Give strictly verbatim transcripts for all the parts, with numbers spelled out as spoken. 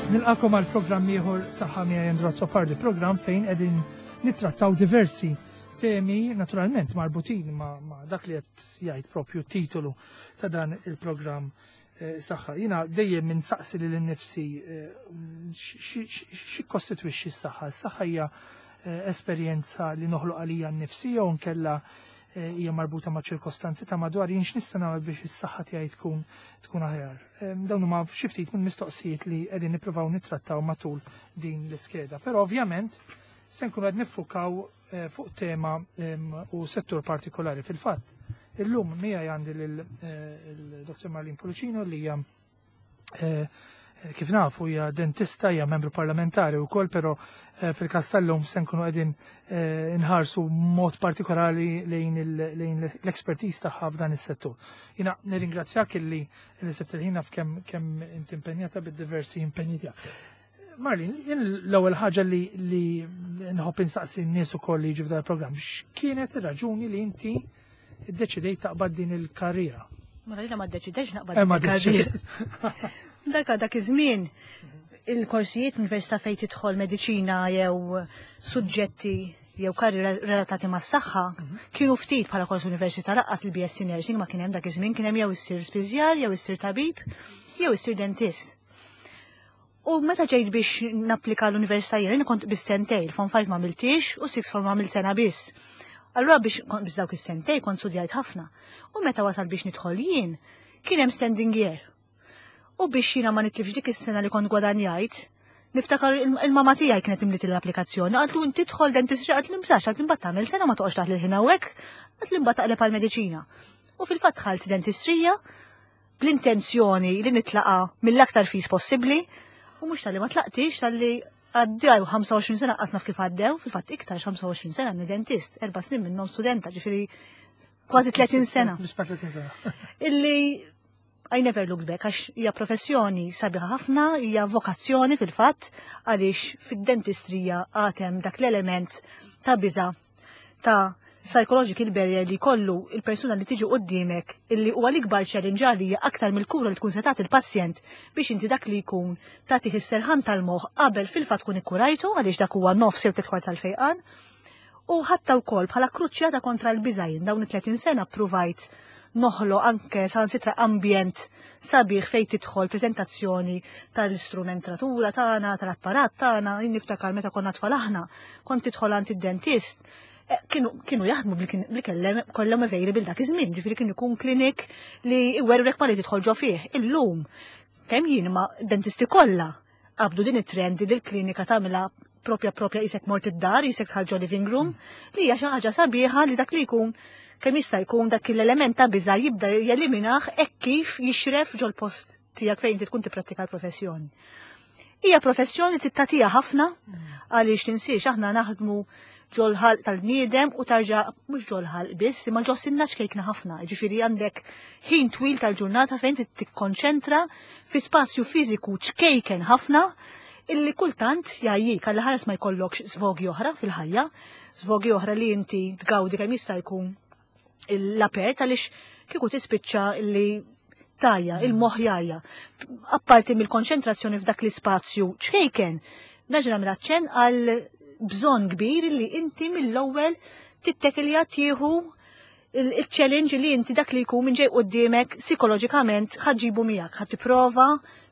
Nilqagħkom għal programm ieħor Saħħa miegħi, Andrew Azzopardi, programm fejn qegħdin nittrattaw diversi temi naturalment marbutin ma, ma dak li qed jgħid propju titolu ta' dan il-programm eh, saħħa. Jiena dejjem insaqsi lil nifsi eh, x'jikkostitwixxi s-saħħa. S-saħħa hija eh, esperjenza li noħloq għalija nnifsi jew nkella eh, hija marbuta ma' ċirkostanzi ta' madwar? Jien x'nista' nagħmel biex is-saħħa tiegħi tkun tkun aħjar? Em, Dawn huma xi ftit minn mistoqsijiet li qegħdin nippruvaw nittrattaw matul din l-iskeda. Però ovvjament se nkunu qed niffukaw eh, fuq tema em, u settur partikolari. Fil-fatt, illum miegħi għandi lil eh, il-Dottor Marlene Pullicino li hija eh, kif nafu hija dentista, hija membru parlamentari wkoll, però eh, fil-każ tal-lum se nkunu qegħdin eh, nħarsu mod partikolari lejn il- lejn l-expertise tagħha f'dan is-settur. Jiena nirringrazzjak illi li sibt il-ħin kemm kemm inti impenjata bid-diversi impenji tiegħek. Marlene, jien l-ewwel ħaġa li li nħobb insaqsi n-nies ukoll li jiġu f'dan il-programm, x'kienet ir-raġuni li inti iddeċidejt taqbad din il-karriera? Mela jiena ma ddeċidejx naqbad Eh, ma il-karriera. deċidejt. Dak dak iż-żmien il-korsijiet l-università fejn tidħol mediċina jew suġġetti jew karriera relatati mas-saħħa kienu ftit bħala kors università. Lanqas il-B S C Nursing ma kien hemm dak iż-żmien, kien hemm jew issir spiżjar, jew issir tabib, jew issir dentist. U meta ġejt biex napplika l-università jien kont bis-sentej, il-Form five ma għamiltix u Sixth Form għamilt sena biss. Allura biex kont biss dawk is-sentej kont studjajt ħafna. U meta wasal biex nidħol jien, kien hemm standing year. U biex jiena ma nitlifx dik is-sena li kont gwadanjajt, niftakar il- il-mama tiegħi kienet imliet l-applikazzjoni, qaltlu inti tidħol dentistry, qaltli msax, qaltli mbagħad tagħmel sena ma toqgħodx taħli l-ħin hawnhekk, qaltli mbagħad taqleb għall-mediċina. U fil-fatt dħalt dentistrija bl-intenzjoni li nitlaqa mill-aktar fis possibbli, u mhux talli ma tlaqtix, talli għaddew ħamsa u għoxrin sena qas naf kif għaddew, fil-fatt iktar, ħamsa u għoxrin sena ni dentist, erba' snin minnhom studenta, ġifieri kważi tletin sena. Bisma tletin sena. Illi I never looked back, għax hija professjoni sabiħa ħafna, hija vokazzjoni fil-fatt, għaliex fid-dentistrija għad hemm dak l-element ta' biża, ta' psychological barrier li kollu il-persuna li tiġi qoddimek, illi huwa l-ikbar challenge għalija aktar mill-kura li tkun se tagħti il-pazjent, biex inti dak li jkun tagħtih is-serħan tal-moħħ qabel fil-fatt tkun ikkurajtu, għaliex dak huwa nofs jew tliet kwart tal-fejqan. U ħatta wkoll bħala kruċjata kontra l-biża', jien dawn it-tletin sena ppruvajt noħloq anke sansitra ambjent sabiħ fejn tidħol prezentazzjoni tal-istrumentatura tagħna, tal-apparat tagħna. Jien niftakar meta konna tfal aħna, kont tidħol għand id-dentist, eh, kienu, kienu jaħdmu bli kellem kollhom available dak iż-żmien, ġifieri kien ikun klinik li iwerwrek ma li tidħol ġo fih. Illum kemm jien ma dentisti kollha qabdu din it-trend li l-klinika tagħmilha propja propja qisek mort id-dar, qisek dħalt ġo living room, li hija xi ħaġa sabiħa li dak li jkun kemm jista' jkun dak l-element ta' biża' jibda jeliminah hekk kif jixref ġol-post tiegħek fejn inti tkun tipprattika l-professjoni. Hija professjoni tittatija ħafna, għaliex tinsiex aħna naħdmu ġol-ħalq tal-bniedem u tarġa mhux ġol-ħalq biss, imma ġo sinna ċkejkna ħafna. Ġifieri għandek ħin twil tal-ġurnata fejn tikkonċentra fi spazju fiżiku ċkejken ħafna illi kultant jgħajjik, għalli ħares ma jkollokx svogi oħra fil-ħajja, svogi oħra li inti tgawdi kemm jista' jkun l-apert, għaliex kieku tispiċċa illi tajja, il-moħħ jgħajja. Apparti mill-konċentrazzjoni f'dak l-ispazju ċkejken, naġra mill-aċċen għal bżonn kbir li inti mill-ewwel tittekilja tieħu il-challenge li inti dak li jkun minn ġej quddiemek psikoloġikament ħa ġġibu miegħek, ħa tipprova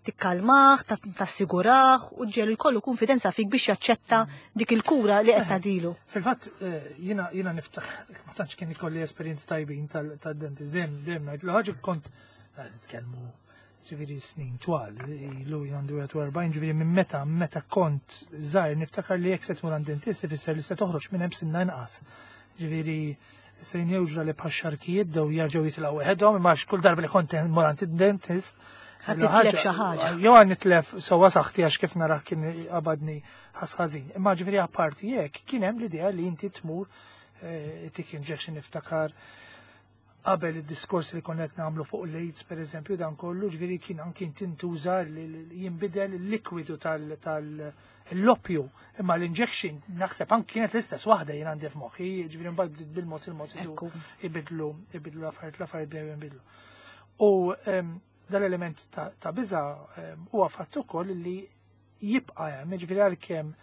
tikkalmah, tassigurah u ġelu jkollu konfidenza fik biex jaċċetta dik il-kura li qed tagħtilu. Fil-fatt, eh, jiena jiena niftaħ, ma tantx kien ikolli esperjenzi tajbin tad-dentist, dejjem dejjem ngħid ħaġa, kont eh, nitkellmu ġifieri snin twal, ilu għandu erbgħa u erbgħin, ġifieri minn meta meta kont żgħir niftakar li jekk se tmur għand dentist ifisser li se toħroġ minn hemm sinna inqas. Ġifieri se jnewġra li bħal xarkijiet daw jerġgħu jitilgħu weħedhom, imma kull darba li kont mur għand id-dentist Ħa titlef xi ħaġa. Jew għan nitlef sewwa saħħti, għax kif narah kien qabadni ħasħażin. Imma ġifieri apparti jekk kien hemm l-idea li inti tmur eh, tik injection. Niftakar qabel id-diskors li konna qed nagħmlu fuq l-AIDS per eżempju, dan kollu, ġifieri kien anki tintuża li jinbidel il-likwidu tal-loppju, imma l-injection naħseb anki kienet l-istess waħda jien għandi f'moħħi, ġifieri mbagħad bil-mod il-mod Ekku. ibidlu ibidlu l-affarijiet l-affarijiet bdew jinbidlu. U em, dal-element ta' ta' biża em, huwa fatt ukoll li jibqa' hemm, jiġifieri għalkemm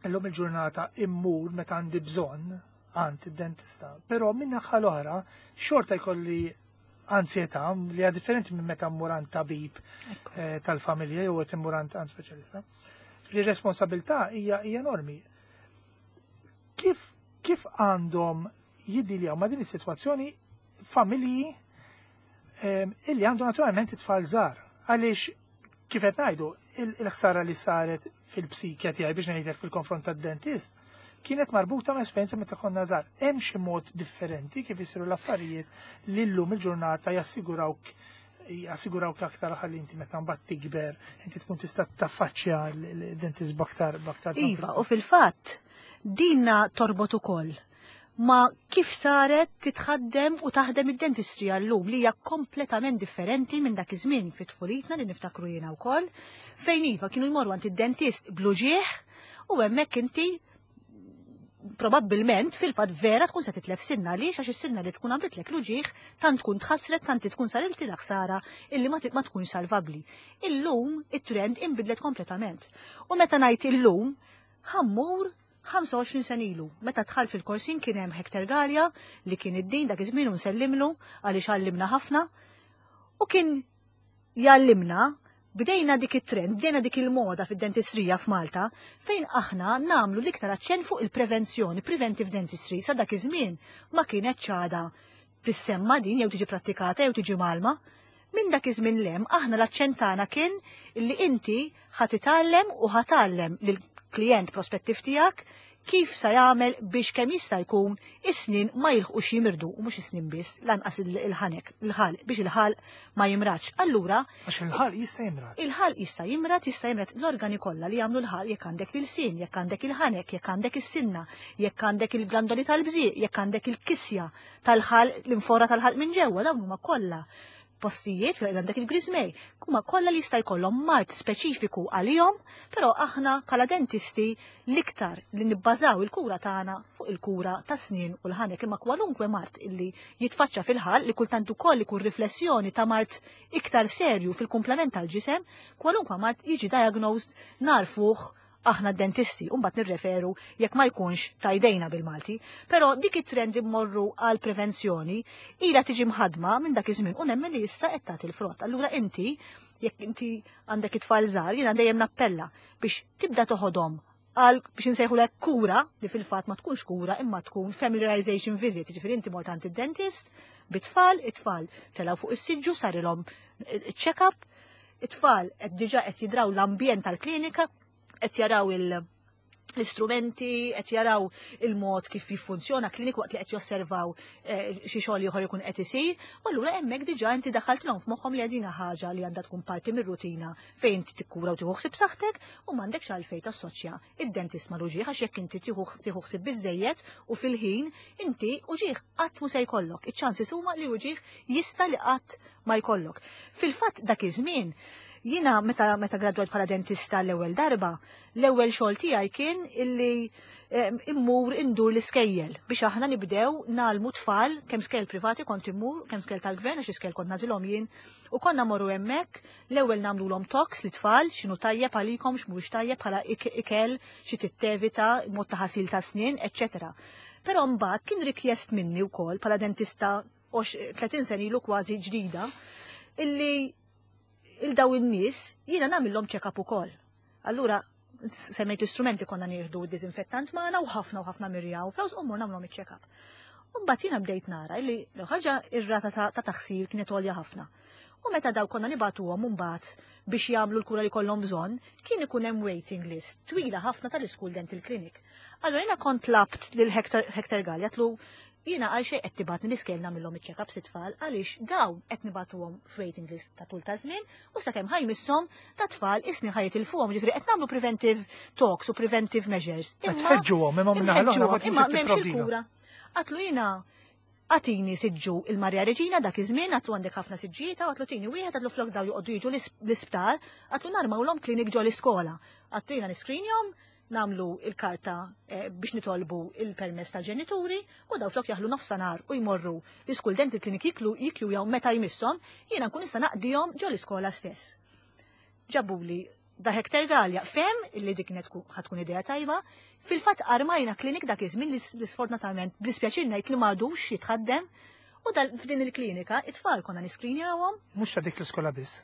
illum il-ġurnata immur meta għandi bżonn għand id-dentista, però minn naħa l-oħra xorta jkolli ansjetà li hija differenti minn meta mmur għand tabib eh, tal-familja jew qed immur għand speċjalista. Li responsabilità hija hija enormi. Kif kif għandhom jiddiljaw ma' din is-sitwazzjoni familji ehm, illi għandhom naturalment it-tfal żgħar? Għaliex kif qed ngħidu, il-ħsara li saret fil-psikja tiegħi, biex ngħidlek, fil-konfront tad-dentist kienet marbuta ma' esperjenza meta konna żgħar. Hemm xi mod differenti kif isiru l-affarijiet li llum il-ġurnata jassigurawk jassigurawk aktar ħalli inti meta mbagħad tikber inti tkun tista' taffaċċja l-dentist b'aktar b'aktar Iva, u fil-fatt dinna torbot ukoll ma kif saret titħaddem u taħdem id-dentistrija llum, li hija kompletament differenti minn dak iż-żmien fit-tfulitna li niftakru jiena wkoll, fejn iva kienu jmorru għand id-dentist bl-uġigħ u hemmhekk inti probabbilment fil-fatt vera tkun se titlef sinna, li għax is-sinna li tkun għamlitlek l-uġigħ tant tkun tħassret, tant tkun sariltilha ħsara illi ma ma tkun salvabli. Illum it-trend inbidlet kompletament. U meta ngħid illum, ħa mmur ħamsa u għoxrin sena ilu. Meta dħalt fil-korsin kien hemm Hector Gallia li kien id-dean dak iż-żmien, u nsellimlu għaliex għallimna ħafna. U kien jallimna, bdejna dik it-trend, bdejna dik il-moda fid-dentistrija f'Malta fejn aħna nagħmlu l-iktar aċċenn fuq il-prevenzjoni, preventive dentistry. Sa dak iż-żmien ma kienet ċada tissemma din jew tiġi prattikata jew tiġi mgħallma. Minn dak iż-żmien 'l hemm aħna l-aċċenn tagħna kien li inti ħa titgħallem u ħa tgħallem lill-klient prospettiv tiegħek kif sa jagħmel biex kemm jista' jkun is-snin ma jilħqux jimirdu, u mhux is-snin biss, lanqas il-ħanek, il-ħalq, biex il-ħalq ma jimradx. Allura Għax il-ħalq jista' jimrad. Il-ħalq jista' jimrad, jista' jimrad l-organi kollha li jagħmlu l-ħalq, jekk għandek il-sin, jekk għandek il-ħanek, jekk għandek is-sinna, jekk għandek il-glandoli tal-bżieq, jekk għandek il-kisja tal-ħalq, l-inforra tal-ħalq minn ġewwa, dawn huma kollha postijiet fejn għandek il-griżmej, huma kollha li jista' jkollhom mard speċifiku għalihom, però aħna bħala dentisti l-iktar li nibbażaw il-kura tagħna fuq il-kura ta' snien u l-ħanek, imma kwalunkwe mard illi jitfaċċa fil-ħalq, li kultant ukoll ikun riflessjoni ta' mard iktar serju fil-komplement tal-ġisem, kwalunkwe mard jiġi diagnosed, narfuh aħna dentisti, u mbagħad nirreferu jekk ma jkunx ta' jdejna bil-Malti. Però dik it-trend immorru għal prevenzjoni ila tiġi mħadma minn dak iż-żmien u nemmen li issa qed tagħti l-frott. Allura inti, jekk inti għandek it-tfal żgħar, jiena dejjem nappella biex tibda toħodhom għal biex nsejħu lek kura, li fil-fatt ma tkunx kura imma tkun familiarization visit, ġifieri inti mort għand id-dentist bit-tfal, it-tfal telgħu fuq is-siġġu, sarilhom check-up, it-tfal qed diġà qed jidraw l-ambjent tal-klinika, qed jaraw il- l-istrumenti, qed jaraw il-mod kif jiffunzjona klinik waqt li qed josservaw eh, xi xogħol ieħor ikun qed isir, u allura hemmhekk diġà inti daħaltilhom f'moħħhom li għadina ħaġa li għandha tkun parti mir-rutina fejn inti tikkura u tieħu ħsieb saħħtek u m'għandekx għalfejn tassoċja id-dentist mal-uġigħ, għax jekk inti tieħu tieħu ħsieb biżejjed u fil-ħin, inti uġigħ qatt mu se jkollok. Iċ-ċansi huma li uġigħ jista' li qatt ma jkollok. Fil-fatt dak iż-żmien jiena meta meta gradwajt bħala dentista l-ewwel darba, l-ewwel xogħol tiegħi kien illi immur indur l-iskejjel biex aħna nibdew ngħallmu tfal, kemm skejjel privati kont immur, kemm skejjel tal-gvern, għax iskejjel kont nagħżilhom jien, u konna morru hemmhekk, l-ewwel nagħmluhom talks lit-tfal, x'inhu tajjeb għalikom, x'mhuwiex tajjeb bħala ikel, xi tittevita, mod ta' ħasil ta' snien, eċċetera. Però mbagħad kien rikjest minni wkoll bħala dentista tletin sena ilu kważi ġdida illi il-daw in-nies jiena nagħmilhom check-up ukoll. Allura semmejt l-istrumenti, konna nieħdu disinfettant magħna u ħafna u ħafna mirja u flus u mmur nagħmlhom iċ-check-up. U mbagħad jiena bdejt nara li ħaġa, ir-rata ta' taħsir kienet għolja ħafna. U meta daw konna nibagħtuhom mbagħad biex jagħmlu l-kura li kollhom bżonn, kien ikun hemm waiting list twila ħafna tal-School Dental Clinic. Allura jiena kont tlabt lil Hector, Hector Gallia, għedtlu jiena għal xejn qed tibgħatni l-iskejjel nagħmilhom iċ-check-up lit-tfal, għaliex dawn qed nibagħtuhom f'waiting list ta' tul ta' żmien u sakemm ħa jmisshom ta' tfal is-snin ħa jitilfuhom, ġifieri qed nagħmlu preventive talks u preventive measures. Qed tħeġġuhom imma minn naħa l-oħra imma m'hemmx il-kura. Għedtlu jiena agħtini siġġu il-Marja Reġina dak iż-żmien, għedtlu għandek ħafna siġġijiet, għedtlu tini wieħed, għedtlu flok daw joqogħdu jiġu l-isptar, għedtlu narmawlhom klinik ġo l-iskola. Għedtlu jiena niskrinjhom, nagħmlu il-karta eh, biex nitolbu il-permess tal-ġenituri, u daw flok jaħlu nofsinhar u jmorru l-School Dental Clinic jiklu jiklu jew meta jmisshom, jiena nkun nista' naqdihom ġo l-iskola stess. Ġabuli Da Hector Galea fehem illi dik kienet ħa tkun idea tajba. Fil-fatt armajna klinik dak iż-żmien li sfortunatament b'dispjaċir ngħid li m'għadux jitħaddem u f'din il-klinika it-tfal konna niskrinjawhom. Mhux ta' dik l-iskola biss.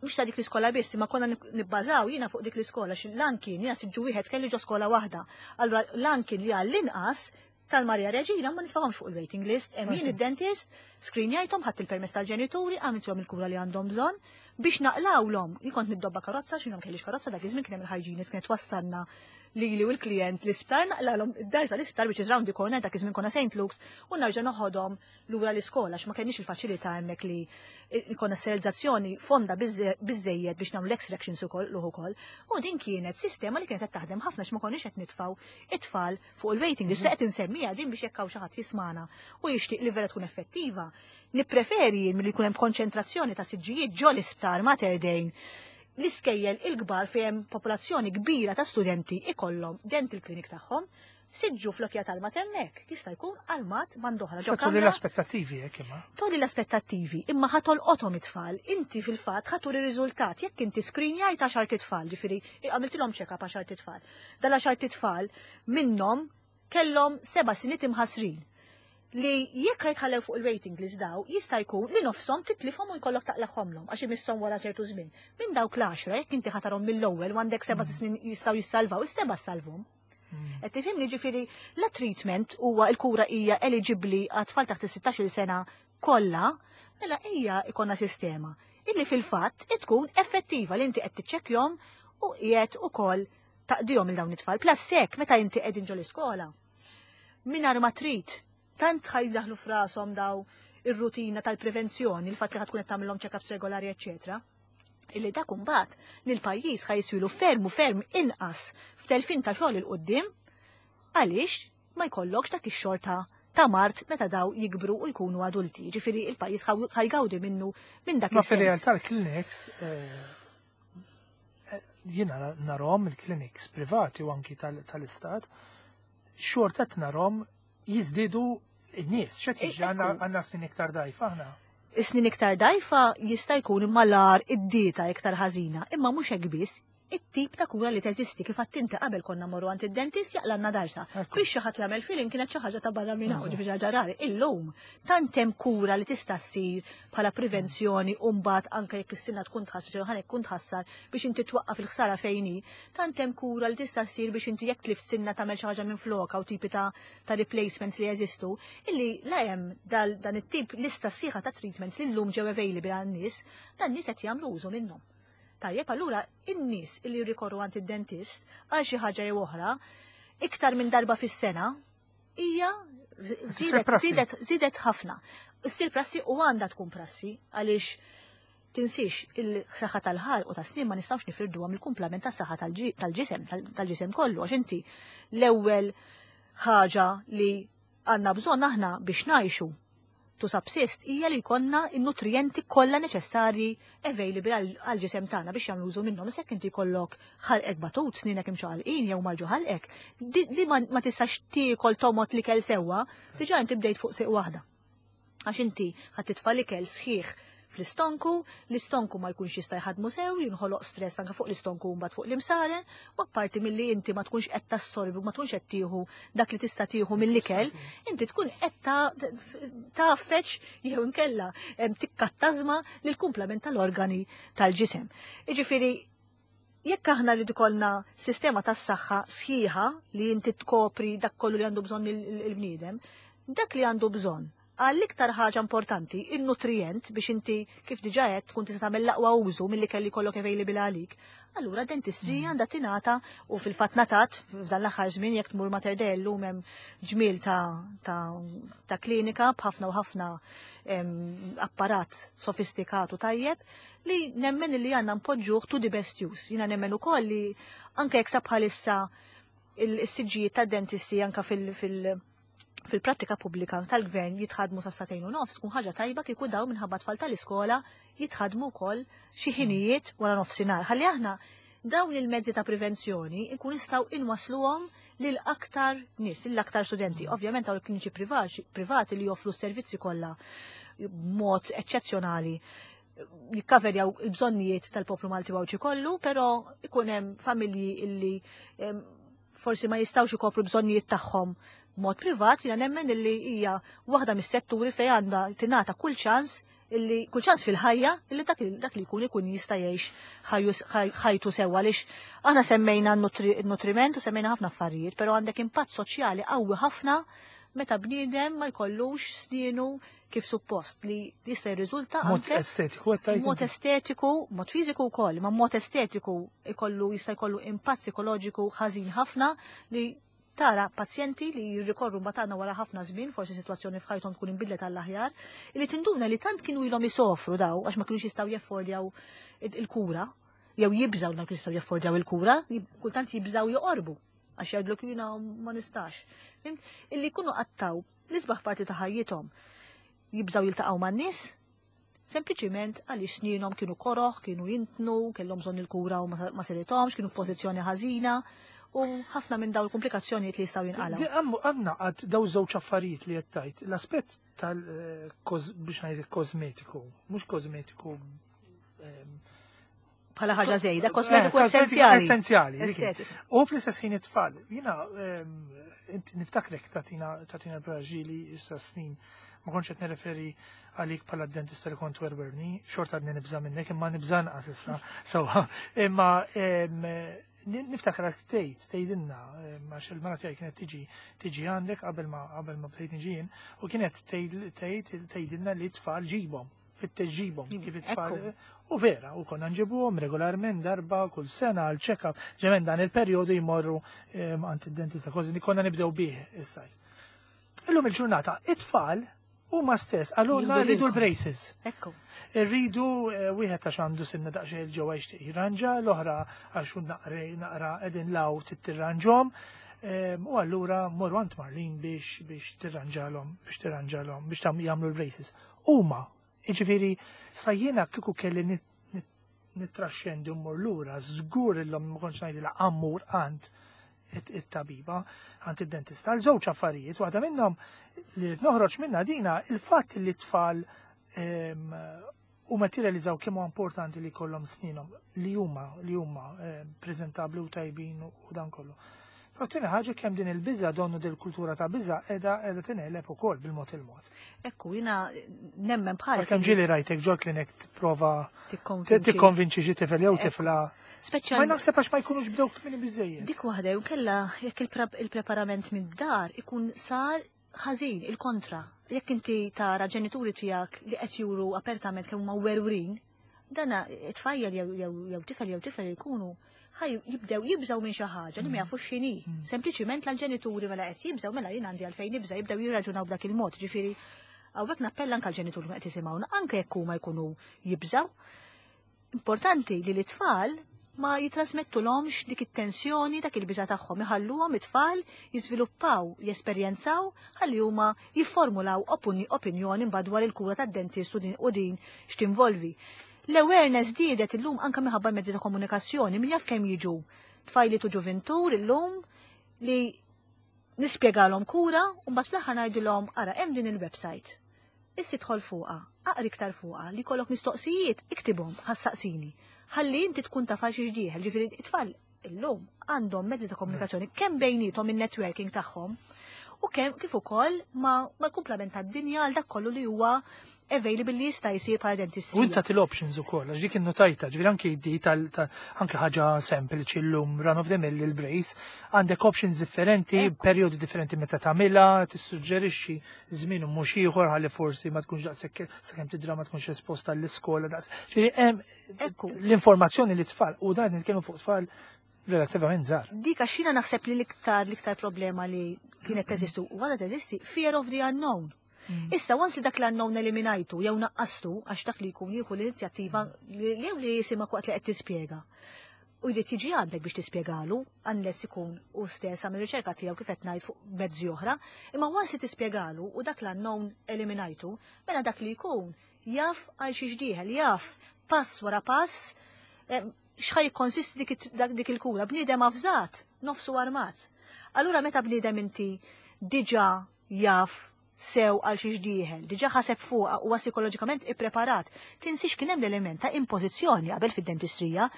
Mhux ta' dik l-iskola biss, ma konna nibbażaw jiena fuq dik l-iskola xi lan kien jiena siġġu wieħed kelli ġo skola waħda. Allura lan kien li għall-inqas tal-Maria Reġina ma nitfgħuhomx fuq il-waiting list, hemm jien id-dentist, screenjajthom, ħadd il-permess tal-ġenituri, għamilthom il-kura li għandhom bżonn biex naqlawlhom. Jien kont niddobba karozza, x'inhom kellix karozza dak iż-żmien, kien hemm il-hygienist kienet wassalna lili u l-klient l-isptar, naqlalhom id-darsa l-isptar, which is round the corner, dak iż-żmien konna Saint Luke's, u narġa' noħodhom lura l-iskola għax ma kenniex il-faċilità hemmhekk li konna sterilizzazzjoni fonda biżejjed biex nagħmlu l-extractions ukoll ukoll. U din kienet sistema li kienet qed taħdem ħafna x'ma konniex qed nitfgħu it-tfal fuq il-waiting list. Qed insemmija din biex jekk hawn xi ħadd jismana u jixtieq li vera tkun effettiva. Nippreferi milli jkun hemm konċentrazzjoni ta' siġġijiet ġo l-isptar Mater Dei, l-iskejjel il-kbar fejn popolazzjoni kbira ta' studenti ikollhom dental clinic tagħhom, siġġu flokja tal-maternek, jista' jkun armat band'oħra. Ġo kamra l-aspettattivi jekk imma. Toli l-aspettattivi, imma ħa tolqothom it-tfal, inti fil-fatt ħa turi riżultat jekk inti screenjajt għaxar tfal, ġifieri għamiltilhom check-up għaxar tfal. Dal-għaxar tfal minnhom kellhom seba' siniet imħasrin li jekk jitħallew fuq il-waiting list daw, jista' jkun li nofshom titlifhom u jkollok taqlagħhomlhom għax imisshom wara ċertu żmien. Minn dawk l-għaxra jekk inti ħa tarahom mill-ewwel u għandek seba' snin jistgħu jissalvaw, is-seba' salvhom. Mm. Qed tifhimni? Ġifieri la treatment huwa l-kura hija eligibbli għat-tfal taħt is-sittax-il sena kollha, mela hija ikonna sistema illi fil-fatt tkun effettiva li inti qed tiċċekkjhom u qiegħed ukoll taqdihom il dawn it-tfal. Plus sek meta inti qegħdin ġol iskola. Mingħajr ma trid tant ħa jdaħħlu f'rashom daw ir-rutina tal-prevenzjoni, il-fatt li ħa tkun qed tagħmilhom check-ups regolari, eċċetera. Illi dak imbagħad li l-pajjiż ħa jiswilu ferm u ferm inqas f'telfin ta' xogħol 'il quddiem għaliex ma jkollokx dak ix-xorta ta' mard meta daw jikbru u jkunu adulti. Ġifieri il-pajjiż ħa jgawdi minnu minn dak Ma fir-realtà l-clinics eh, eh, jiena narahom il-clinics privati u anki tal-istat xorta narahom jiżdiedu in-nies, x'qed jiġri, għandna snin iktar dajfa aħna? Snin iktar dajfa jista' jkun imma l-ar id-dieta iktar ħażina, imma mhux hekk biss, it-tip ta' kura li teżisti. Kif inti qabel konna morru għand id-dentist jaqlagħlna darsa. Biex xi ħadd jagħmel filling kienet xi ħaġa ta' barra minn hawn, ġifieri ħaġa rari. Illum tant hemm kura li tista' ssir bħala prevenzjoni u mbagħad anke jekk is-sinna tkun tħassar jew ħanek tkun tħassar biex inti twaqqaf il-ħsara fejn hi, tant hemm kura li tista' ssir biex inti jekk tlift sinna tagħmel xi ħaġa minn floka u tipi ta' ta' replacements li jeżistu, illi la hemm dan it-tip lista sħiħa ta' treatments li llum ġew available għan-nies, dan nies qed jagħmlu użu minnhom. Tajjeb, allura in-nies illi jirrikorru għand id-dentist għal xi ħaġa jew oħra iktar minn darba fis-sena hija zidet zidet ħafna. Issir prassi u għandha tkun prassi għaliex tinsix il-saħħa tal-ħalq u tas-snien ma nistgħux nifirduha mill-kumplament tas-saħħa tal-ġisem, tal-ġisem kollu, għax inti l-ewwel ħaġa li għandna bżonn aħna biex ngħixu, to subsist, hija li jkollna in-nutrienti kollha neċessarji available għal-ġisem tagħna biex jagħmlu użu minnhom. Issa inti jkollok ħalqek batut, sninek imxaqalqin jew marġu ħalqek, li ma tistax tiekol tomgħod l-ikel sewwa, diġà inti bdejt fuq siq waħda. Għax inti ħadd titfa' l-ikel sħiħ fl-istonku, l-istonku ma jkunx jista' jħadmu sew, jinħoloq stress anke fuq l-istonku mbagħad fuq l-imsaren, u apparti milli inti ma tkunx qed tassorbi u ma tkunx qed tieħu dak li tista' tieħu mill-ikel, inti tkun qed tgħaffeġ jew inkella tikkattażma lill-kumplament tal-organi tal-ġisem. Jiġifieri jekk aħna li ikollna sistema tas-saħħa sħiħa li inti tkopri dak kollu li għandu bżonn il-bniedem, dak li għandu bżonn għall-iktar ħaġa importanti, il-nutrient biex inti kif diġà qed tkun tista' tagħmel l-aqwa użu milli kelli kollok available għalik. Allura dentistrija mm. għandha tingħata u fil-fatt ngħatat f'dan l-aħħar żmien. Jekk tmur Mater Dei llum hemm ġmiel ta', ta, ta klinika b'ħafna u ħafna apparat sofistikatu tajjeb li nemmen li għandna npoġġuh to the best use. Jiena nemmen ukoll li anke jekk bħalissa il-siġġijiet ta' dentisti anka fil-, fil fil-prattika pubblika tal-gvern jitħadmu sa sagħtejn u nofs, tkun ħaġa tajba kieku daw minħabba tfal tal-iskola jitħadmu wkoll xi ħinijiet wara nofsinhar. Ħalli aħna dawn il-mezzi ta' prevenzjoni nkun nistgħu inwasluhom lil aktar nies, lil aktar studenti. Ovvjament dawn il-kliniċi privati li joffru s-servizzi kollha b'mod eċċezzjonali Jikkaverjaw il-bżonnijiet tal-poplu Malti Għawdxi kollu, però ikun hemm familji illi forsi ma jistgħux ikopru bżonnijiet tagħhom mod privat. Jiena nemmen illi hija waħda mis-setturi fejn għandha tingħata kull ċans illi kull ċans fil-ħajja illi dak, dak li jkun ikun jista' jgħix ħajtu sewwa, għaliex aħna semmejna n-nutriment u semmejna ħafna affarijiet, però għandek impatt soċjali qawwi ħafna meta bniedem ma jkollux snienu kif suppost, li jista' jirriżulta mod estetiku. Mod estetiku, mod fiżiku wkoll, ma mod estetiku ikollu jista' jkollu impatt psikoloġiku ħażin ħafna, li tara pazjenti li jirrikorru mbagħad wara ħafna żmien, forsi sitwazzjoni f'ħajthom tkun inbidlet għall-aħjar, li tinduna li tant kienu ilhom isofru daw għax ma kienux jistgħu jeffordjaw il-kura, jew jibżaw ma kienux jistgħu jaffordjaw il-kura, kultant jibżaw joqorbu għax jgħidluk jiena ma nistax. Illi jkunu qattaw l-isbaħ parti ta' ħajjithom jibżaw jiltaqgħu man-nies, sempliċiment għaliex snienhom kienu koroħ, kienu jintnu, kellhom bżonn il-kura u ma sirithomx, kienu f'pożizzjoni ħażina u ħafna minn dawn il-komplikazzjonijiet li jistgħu jinqalgħu. Għandna għad daw żewġ affarijiet li qed tgħid. L-aspett tal eh, biex ngħid kosmetiku, mhux kosmetiku bħala ħaġa żejda, kosmetiku eh, essenzjali. Essenzjali. U fl-istess ħin it-tfal. Jiena niftakrek tatina tatina l-Braġili issa snin, ma kontx qed nirreferi għalik bħala dentista li kont werwerni, xorta għadni nibża minnek, imma nibża nqas issa. Sewwa, imma niftakar tgħid tgħidilna, għax il-mara tiegħi kienet tiġi tiġi għandek qabel ma qabel ma bdejt niġi jien, u kienet tgħid tgħidilna li tfal ġibhom, fittex ġibhom kif it-tfal. U vera, u konna nġibuhom regolarment darba kull sena għal check-up, ġemen dan il-perjodu jmorru għand id-dentista, kważi li konna nibdew bih is-sajf. Illum il-ġurnata, it-tfal huma stess għalulna rridu l-braces. Ekku. Irridu eh, wieħed għax għandu sinna daqsxejn 'il ġewwa jixtieq jirranġa, l-oħra għax naqra qegħdin law tirranġhom. U allura morru għand Marlene biex biex tirranġalhom, biex tirranġalhom, biex tam jagħmlu l-braces. Huma, jiġifieri sa jiena kieku kelli nittraxxendi mmur lura, żgur illum ma kontx ngħidilha ammur għand it-tabiba, għand id-dentista. Għal żewġ affarijiet, waħda minnhom li noħroġ minna dina il-fatt li t-tfal u ma tirrealizzaw kemm huwa importanti li jkollhom sninhom li huma li huma preżentabbli u tajbin u dan kollu. Però tieni ħaġa, kemm din il-biża, donnu dil kultura ta' biża qiegħda qiegħda tinqeleb ukoll bil-mod il-mod. Ekku, jiena nemmen bħal. Kemm ġieli rajtek ġol klinik tipprova tikkonvinċi xi tifel jew tifla. Speċjal. Ma naħseb għax ma jkunux bdew kmieni biżejjed. Dik waħda, jew kella jekk il-preparament mid-dar ikun sar ħażin, il-kontra. Jekk inti tara ġenituri tiegħek li qed juru apertament kemm huma werwrin, dana tfajjel jew tifel jew tifel jkunu ħaj jibdew jibżaw minn xi ħaġa li ma jafux x'inhi. Mm. Sempliċiment l-ġenituri mela qed jibżaw, mela jien għandi għalfejn nibża, jibdew jirraġunaw b'dak il-mod. Ġifieri hawnhekk nappella anke l-ġenituri ma qed jisimgħuna, anke jekk huma jkunu jibżaw. Importanti li l-tfal ma jitrasmettulhomx dik it-tensjoni, dak il-biża tagħhom, iħalluhom it-tfal jiżviluppaw, jesperjenzaw, ħalli huma jifformulaw opinjoni mbagħad dwar il-kura tad-dentist u din x'tinvolvi. L-awareness żdiedet illum anke minħabba mezzi ta' komunikazzjoni, min jaf kemm jiġu tfajliet u ġuvintur illum li nispjegalhom kura u mbagħad fl-aħħar ngħidilhom: "Ara, hemm din il-website. Issi dħol fuqha, aqri iktar fuqha, li jkollok mistoqsijiet iktibhom, ħassaqsini. Ħalli inti tkun taf għal xiex dieħel." Ġifieri it-tfal illum għandhom mezzi ta' komunikazzjoni kemm bejnietom in-networking tagħhom u kemm kif ukoll ma mal-kumplament tad-dinja għal dak kollu li huwa available li jista' jsir bħala dentist. U inta til options ukoll, għax dik innotajta, ġifieri anke di tal anke ħaġa sempliċi llum, run of the mill il-brace, għandek options differenti, perjodi differenti meta tagħmilha, tissuġġerixxi żmien u mhux ieħor ħalli forsi ma tkunx daqshekk sakemm tidra ma tkunx esposta l-iskola daqs. Ġifieri hemm l-informazzjoni li tfal u dan nitkellmu fuq tfal relattivament żgħar. Dik għax jiena naħseb li l-iktar l-iktar problema li kienet teżistu u għadha teżisti, fear of the unknown. Mm. Issa, once li dak l-unknown eliminajtu, jew naqqastu, għax dak li jkun jieħu l-inizjattiva jew li jisimak waqt li qed tispjega. U jrid jiġi għandek biex tispjegalu, unless ikun u stess għamil riċerka tiegħu kif qed ngħid fuq mezzi oħra, imma once li tispjegalu u dak l-unknown eliminajtu, mela dak li jkun jaf għal xiex dieħel, jaf pass wara pass eh, x'ħa jikkonsisti dik dik il-kura. Bniedem avżat, nofsu armat. Allura meta bniedem inti diġà jaf sew għal xiex dieħel, diġà ħaseb fuqha huwa psikoloġikament ippreparat. Tinsix kien hemm l-element ta' impożizzjoni qabel fid-dentistrija.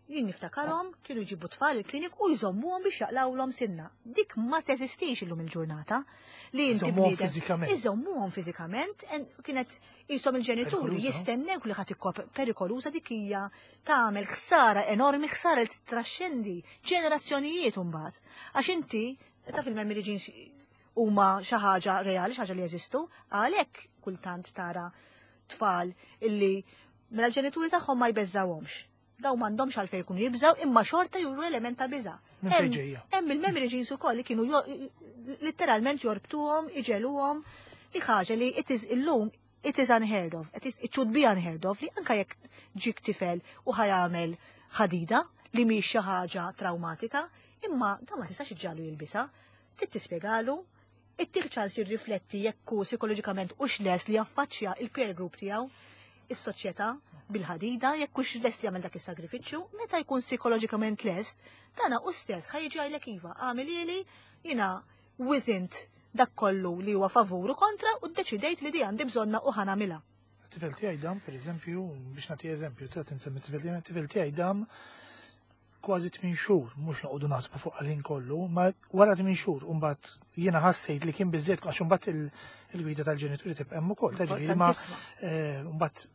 Jien niftakarhom kienu jġibu tfal il-klinik u jżommuhom biex jaqlawlhom sinna. Dik ma teżistix illum il-ġurnata. Li inti Iżommuhom bniedem- fiżikament. Iżommuhom fiżikament, en- kienet jisom il-ġenituri Perikoluża. jistennew li ħadd ikkop perikoluża dik hija tagħmel ħsara enormi, ħsara li titraxxendi ġenerazzjonijiet imbagħad. Għax inti taf il-memory genes huma xi ħaġa reali, xi ħaġa li jeżistu, għalhekk kultant tara tfal illi mela l-ġenituri tagħhom ma jbeżżawhomx. Daw m'għandhomx għalfejn jkunu jibżaw imma xorta juru element ta' biża'. Minn fejn Hemm- ġejja? Hemm il-memory genes ukoll li kienu jo- literalment jorbtuhom, iġegħluhom li ħaġa li it is illum it is unheard of, it, is, it should be unheard of li anka jekk ġik tifel u ħa jagħmel ħadida li mhix xi ħaġa traumatika, imma dan ma tistax iġġagħlu jilbisha, trid tispjegalu, ittih ċans jirrifletti jekk hu psikoloġikament hux lest li jaffaċċja il-peer group tiegħu, is-soċjetà bil-ħadida, jekk hux lest jagħmel dak is-sagrifiċċju, meta jkun psikoloġikament lest, dana u stess ħa jiġi jgħidlek iva, għamilhieli jiena wiżint dak kollu li huwa favur u kontra u ddeċidejt li di għandi bżonna u ħa nagħmilha. Tifel tiegħi dam, per eżempju, biex nagħti eżempju, ta' tinsemmi tifel tiegħi, tifel tiegħi dam kważi tmien xhur, mhux noqogħdu naħsbu fuq għal kollu, ma wara tmien xhur, mbagħad jiena ħassejt li kien biżżejjed għax imbagħad il- il-gwida tal-ġenituri tibqa' hemm ukoll, ta' ġifieri ma Importantissima. eh, mbagħad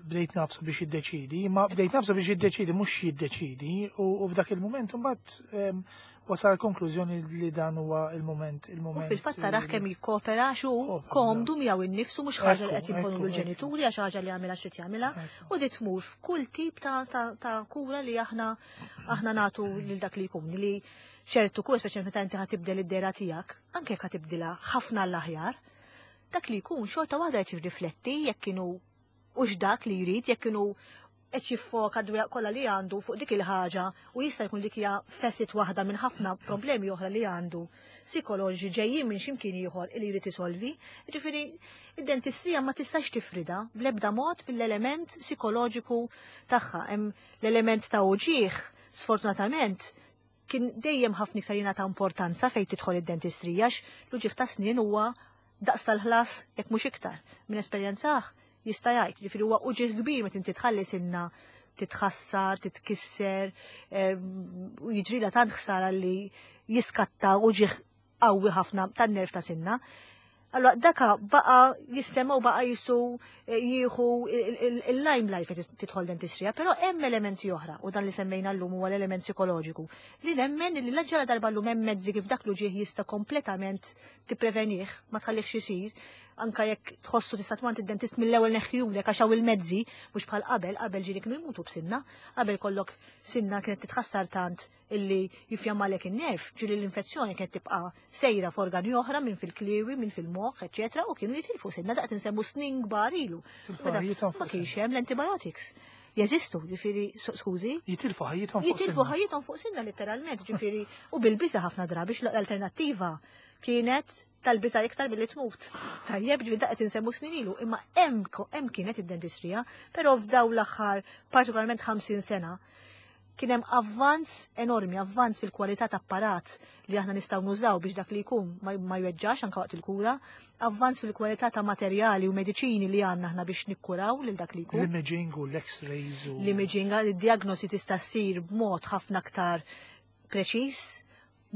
bdejt nagħfsu biex jiddeċidi, ma bdejt nagħfsu biex jiddeċidi mhux jiddeċidi u u f'dak il-moment mbagħad em, wasal konklużjoni li dan huwa il-moment U il-moment. fil-fatt taraħ kemm jikkopera xu Kopera. komdu miegħu innifsu mhux ħaġa li qed Ekku, jimponu ekku, l-ġenituri għax ħaġa li jagħmilha xrid jagħmilha Ekku. u di tmur f'kull tip ta', ta, ta' kura li aħna aħna nagħtu lil dak li jkun li ċertu kura speċjalment meta inti ħa tibdel id-dehra tiegħek, anke jekk ħa tibdilha ħafna l-aħjar, dak li jkun xorta waħda qed jirrifletti jekk kienu hux dak li jrid, jekk kienu qed jiffoka d kollha li għandu fuq dik il-ħaġa u jista' jkun dik hija facet waħda minn ħafna problemi oħra li għandu psikoloġi ġejjin minn x'imkien ieħor li jrid isolvi. Ġifieri id-dentistrija ma tistax tifrida bl-ebda mod mill-element psikoloġiku tagħha. Hemm l-element ta' uġieħ, sfortunatament, kien dejjem ħafna iktar jingħata importanza fejn tidħol id-dentistrija għax l-uġieħ ta' snien huwa daqs tal-ħlas jekk mhux iktar. Minn esperjenza jista' jgħid, ġifieri huwa uġieħ kbir meta inti tħalli sinna titħassar, titkisser, em, u jiġrilha tant ħsara li jiskatta uġieħ qawwi ħafna tan-nerv ta' sinna. Allora, daka baqa jissema u baqa jisu eh, jieħu il-limelight fejn tidħol dentistrija, però hemm elementi oħra u dan li semmejna llum huwa l-element psikoloġiku li nemmen li l-ġara darba llum hemm mezzi kif dak l-uġieħ jista' kompletament tipprevenih, ma tħallihx isir, anka jekk tħossu tista' tmur id-dentist mill-ewwel neħħiulek għax hawn il-mezzi mhux bħal qabel, qabel ġieli kienu jmutu b'sinna, qabel kollok sinna kienet titħassar tant illi jifjammalek in-nerv, ġieli l-infezzjoni kienet tibqa' sejra f'organi oħra minn fil-kliewi, minn fil-moħħ, eċetera, u kienu jitilfu sinna daqt insemmu snin kbar ilu. Jitilfu Meta ħajjithom Ma fuq kienx sinna. hemm l-antibiotics. Jeżistu, ġifieri, skużi, Jitilfu ħajjithom fuq jitilfu sinna. ħajjithom fuq sinna literalment, ġifieri, u bil-biża ħafna drabi l-alternattiva kienet tal-biża iktar billi tmut. Tajjeb, ġifieri daqt insemmu snin ilu, imma hemm hemm kienet id-dentistrija, però f'daw l-aħħar partikolarment ħamsin sena, kien hemm avvanz enormi, avvanz fil-kwalità ta' apparat li aħna nistgħu nużaw biex dak li jkun ma ma jweġġax anke waqt il-kura, avvanz fil-kwalità ta' materjali u mediċini li għandna aħna biex nikkuraw lil dak li jkun. L-imaging u l-x-rays u. L-imaging, id-diagnosi tista' ssir b'mod ħafna aktar preċiż,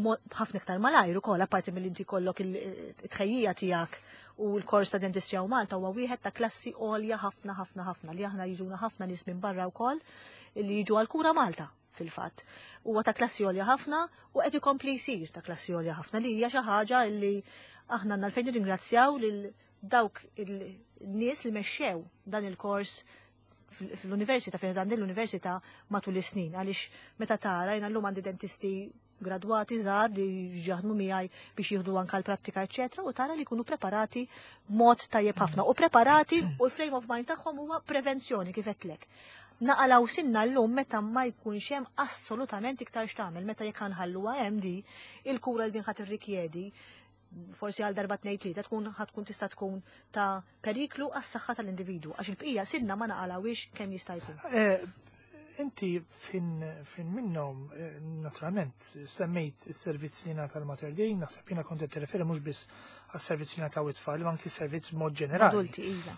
mod ħafna iktar malajr ukoll, apparti mill inti jkollok il-tħejjija tiegħek u l-kors ta' dentistrija u Malta huwa wieħed ta' klassi għolja ħafna ħafna ħafna li aħna jiġuna ħafna nies minn barra wkoll li jiġu għal kura Malta fil-fatt. Huwa ta' klassi għolja ħafna u qed ikompli jsir ta' klassi għolja ħafna li hija xi ħaġa li aħna għandna għalfejn nirringrazzjaw lil dawk il-nies li mexxew dan il-kors fl-università, fejn dan l-università matul is-snin, għaliex meta tara jiena llum għandi dentisti gradwati żgħar li jaħdmu miegħi biex jieħdu anka l-prattika eċetera, u tara li jkunu preparati b'mod tajjeb ħafna u preparati u l-frame of mind tagħhom huwa prevenzjoni kif qedlek. Naqalaw sinna llum meta ma jkunx hemm assolutament iktar x'tagħmel, meta jekk ħanħalluha hemm di il-kura li din ħadd irrikjedi forsi għal darba tnejn tlieta tkun ħatkun tista' tkun ta' periklu għas-saħħa tal-individwu għax il-bqija sinna ma naqalawix kemm jista' jkun. Eh, Inti fin, fin minnhom, eh, naturalment, semmejt is-servizz li ngħata l-Mater Dei, naħseb jiena kont qed tirreferi mhux biss għas-servizz li ngħataw it-tfal, ma anki servizz mod ġenerali. Adulti, iva.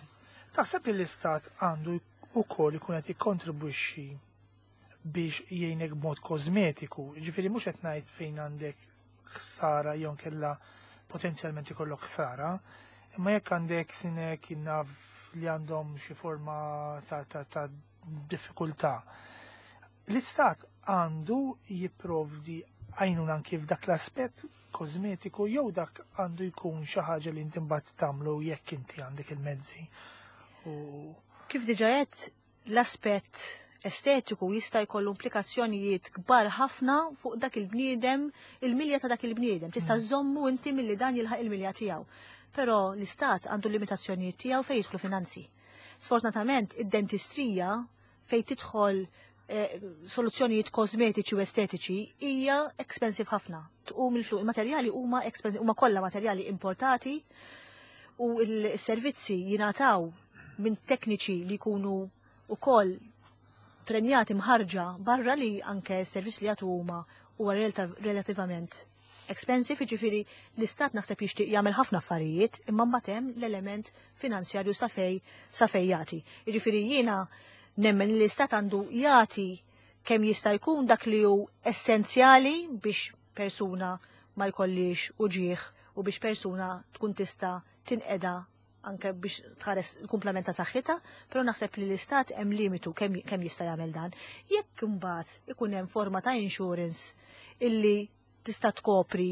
Taħseb li l-istat għandu wkoll ikun qed jikkontribwixxi biex jgħinek b'mod kosmetiku, ġifieri mhux qed ngħid fejn għandek ħsara jew kella potenzjalment ikollok ħsara, imma jekk għandek sinek naf li għandhom xi forma ta', ta, ta diffikultà. L-istat għandu jipprovdi għajnuna anki f'dak l-aspett kosmetiku jew dak għandu jkun xi ħaġa li inti mbagħad tagħmlu jekk inti għandek il-mezzi. U Kif diġa għedt, l-aspett estetiku jista' jkollu implikazzjonijiet kbar ħafna fuq dak il-bniedem, il-milja ta' dak il-bniedem. Tista' żommu inti milli dan jilħaq il-milja tiegħu. Però l-istat għandu limitazzjonijiet tiegħu fejn jidħlu finanzi. Sfortunatament, id-dentistrija fejn tidħol eh, soluzzjonijiet kosmetiċi u estetiċi hija expensive ħafna. Tqum il-flus, il-materjali huma expensive, huma kollha materjali importati u il-servizzi jingħataw minn tekniċi li jkunu ukoll trenjati mħarġa barra li anke s-servizz li jagħtu huma huwa relativament expensive, jiġifieri l-istat naħseb jixtieq jagħmel ħafna affarijiet, imma mbagħad hemm l-element finanzjarju sa fej sa fej jagħti. Jiġifieri jiena nemmen li l-istat għandu jagħti kemm jista' jkun dak li hu essenzjali biex persuna ma jkollix uġieħ u biex persuna tkun tista' tinqeda anke biex tħares il-kumplament ta' saħħitha, però naħseb li l-istat hemm limitu kemm kemm jista' jagħmel dan. Jekk imbagħad ikun hemm forma ta' insurance illi tista' tkopri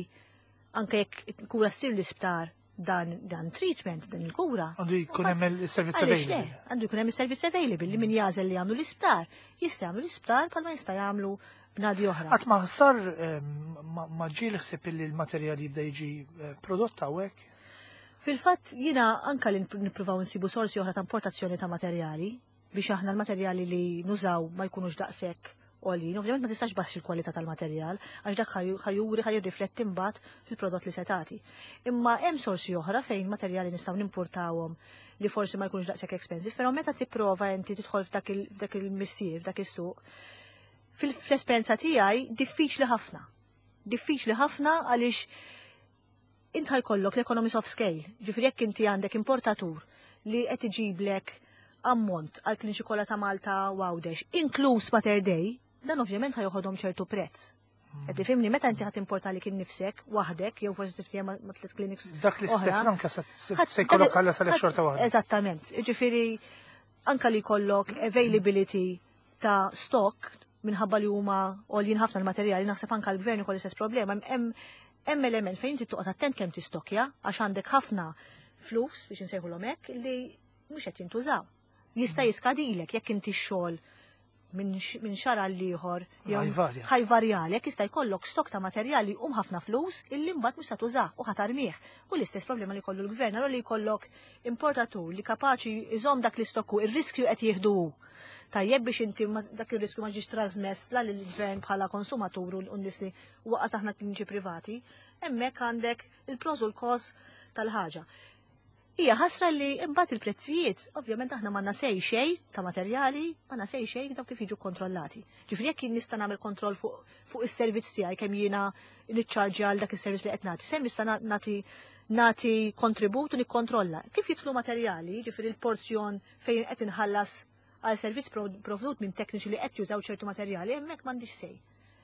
anke jekk kura ssir l-isptar dan dan treatment, dan il-kura. Għandu jkun hemm il-servizz Għaliex le, available. għandu jkun hemm is-servizz available li min jagħżel li jagħmlu l-isptar, jista' jagħmlu l-isptar bħalma jista' jagħmlu bnadi oħra. Qatt ma sar eh, ma ma ġie ħsieb li l-materjal jibda jiġi eh, prodott hawnhekk? Fil-fatt jiena anka li nippruvaw nsibu sorsi oħra ta' importazzjoni ta' materjali biex aħna l-materjali li nużaw ma jkunux daqshekk għoljin. Ovvjament ma tistax baxxi l-kwalità tal-materjal għax dak ħa juri ħa jirrifletti mbagħad fil-prodott li se tagħti. Imma hemm sorsi oħra fejn materjali nistgħu nimpurtawhom li forsi ma jkunux daqshekk expensive, però meta tipprova inti tidħol f'dak il- f'dak il-missier, f'dak is-suq, fil-esperjenza tiegħi diffiċli ħafna. Diffiċli ħafna għaliex int ħajkollok l-economies of scale. Ġifieri jekk inti għandek importatur li qed iġiblek ammont għal kliniċi kollha ta' Malta u Għawdex, inkluż Mater Dei, dan ovvjament ħa joħodhom ċertu prezz. Qed tifhimni meta inti ħadd importa li kien nifsek waħdek jew forsi tiftiehem ma' ma' tliet clinics Dak li oħra. Franka se Ħadd- se jkollok dak- ħalla sal ħadd- xorta waħda. Eżattament. Ġifieri anka li jkollok availability ta' stock minħabba li huma għoljin ħafna l-materjali, naħseb anka l-gvern ikollu l-istess problema. Hemm hemm element fejn inti toqgħod attent kemm tistokja għax għandek ħafna flus biex insejħulhom hekk li mhux qed jintużaw. Jista' jiskadilek jekk inti x-xogħol minn x- minn xahar għal ieħor jew Ħajvarja. ħajvarjalek jista' jkollok stok ta' materjali um ħafna flus illi mbagħad mhux se tużah u ħa tarmih. U l-istess problema li jkollu l-gvern, allura li jkollok importatur li kapaċi iżomm dak l-istokku, ir-riskju qed jieħdu hu. Tajjeb biex inti ma- dak ir-riskju ma ġiex trasmess la lill-gvern bħala konsumatur u n-nies li waqas aħna kliniċi privati, hemmhekk għandek il-pros u l-cons tal-ħaġa. Hija ħasra li imbagħad il-prezzijiet, ovvjament aħna m'għandna sej xejn ta' materjali, m'għandna sej xejn dawk kif jiġu kontrollati. Ġifieri jekk jien nista' nagħmel kontroll fuq fuq is-servizz tiegħi kemm jiena niċċarġja għal dak is-servizz li qed nagħti, sem nista' nagħti nagħti kontribut u nikkontrolla. Kif jidħlu materjali, ġifieri l-porzjon fejn qed inħallas għal servizz provdut minn tekniċi li qed jużaw ċertu materjali, hemmhekk m'għandix sej.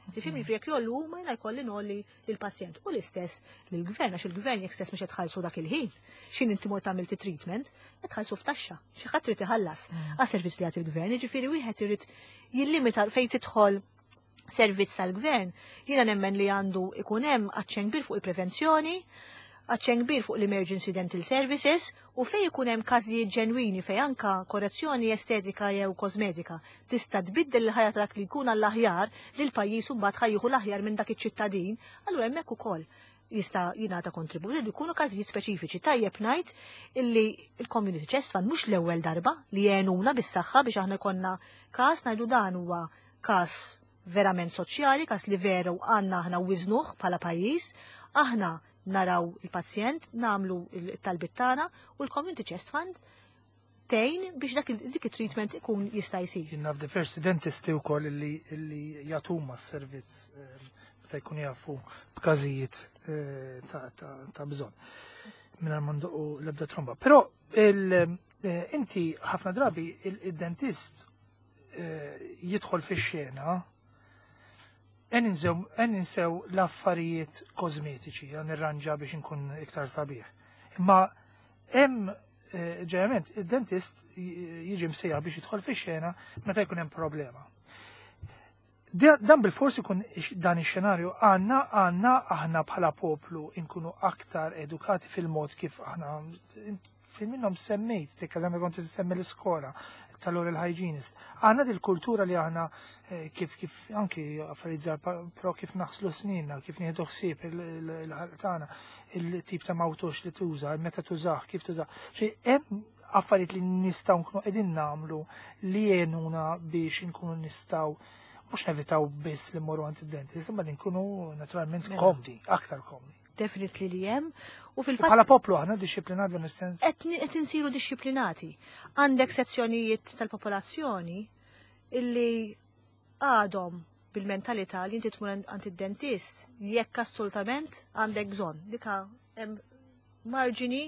Tifhimni jekk jogħlu huma jiena jkolli ngħolli lill-pazjent. U l-istess lill-gvern għax il-gvern jekk stess mhux qed tħallsu dak il-ħin. Xin inti mort tagħmel treatment, qed tħallsu f'taxxa. Xi ħadd trid iħallas għas-servizz li jagħti il-gvern, jiġifieri wieħed irid jillimita fejn tidħol servizz tal-gvern. Jiena nemmen li għandu ikun hemm aċċen kbir fuq il-prevenzjoni, aċċen kbir fuq l-emergency dental services u fej ikun hemm każijiet ġenwini fej anka korrezzjoni estetika jew kosmetika tista' tbiddel il-ħajja ta' dak li jkun għall-aħjar li l-pajjiż imbagħad ħa jieħu l-aħjar minn dak iċ-ċittadin, allura hemmhekk ukoll jista' jingħata kontribut li jkunu każijiet speċifiċi. Tajjeb ngħid illi il-Community Chest Fund mhux l-ewwel darba li għenuna bis-saħħa biex aħna jkollna każ ngħidu dan huwa każ verament soċjali, każ li veru għandna aħna wiżnuh bħala pajjiż, aħna naraw il-pazjent, namlu il-talbit tagħna u l-Community Chest Fund Tgħin biex dak dik it-treatment ikun jista' jsir. Jien naf diversi dentisti wkoll illi illi jagħtuma s-servizz eh, meta jkunu jafu b'każijiet eh, ta' ta' ta' bżonn. Mingħajr ma ndoqqu l-ebda tromba. Però il- eh, inti ħafna drabi il-dentist jidħol fix-xena en ninsew l-affarijiet kosmetiċi, għan nirranġa biex nkun iktar sabiħ. Imma hemm eh, ġeneralment id-dentist jiġi msejjaħ biex jidħol fix-xena meta jkun hemm problema. Dan bil-fors ikun dan ix-xenarju għandna għandna aħna bħala poplu nkunu aktar edukati fil-mod kif aħna fil minnhom semmejt, tikka kont semmi l-iskola tal-oral hygienist. Għandna dil-kultura li aħna eh, kif kif anki affarijiet però kif naħslu snina, kif nieħdu ħsieb il-ħalq tagħna, il-tip ta' mouthwash li tuża, meta tużah, kif tużah. Xi hemm affarijiet li nistgħu nkunu qegħdin nagħmlu li jgħinuna biex nkunu nistgħu mhux nevitaw biss li mmorru għand id-dentist, imma li nkunu naturalment mela. komdi, aktar komdi. Definitely li hemm. U fil-fatt bħala poplu aħna dixxiplinat dan is-sens. Qed insiru dixxiplinati. Għandek sezzjonijiet tal-popolazzjoni illi għadhom bil-mentalità li inti tmur għand id-dentist jekk assolutament għandek bżonn. Dika hemm marġini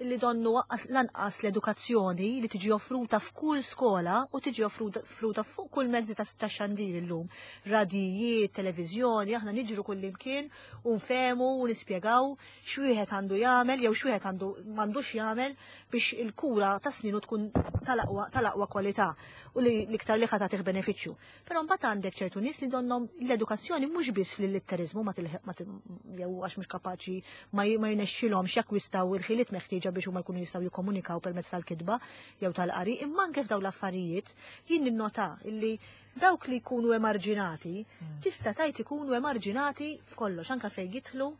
illi donnu lanqas l-edukazzjoni li tiġi offruta f'kull skola u tiġi offruta fuq kull mezzi ta' xandir illum. Radijiet, televiżjoni, aħna niġru kull imkien u nfehmu u nispjegaw x'wieħed għandu jagħmel jew x'wieħed għandu m'għandux jagħmel biex il-kura ta' sninu tkun tal-aqwa kwalità u li l-iktar li ħa tagħtih benefiċċju. Però mbagħad għandek ċertu nies li donhom l-edukazzjoni mhux biss fil-litterizmu ma jew għax mhux kapaċi ma jirnexxilhomx jakkwistaw il-ħiliet meħtieġa biex huma jkunu jistgħu jikkomunikaw permezz tal-kitba jew tal-qari, imma anke f'dawn l-affarijiet jien ninnota illi dawk li jkunu emarġinati hmm. tista' tgħid ikunu emarġinati f'kollox anke fejn jidħlu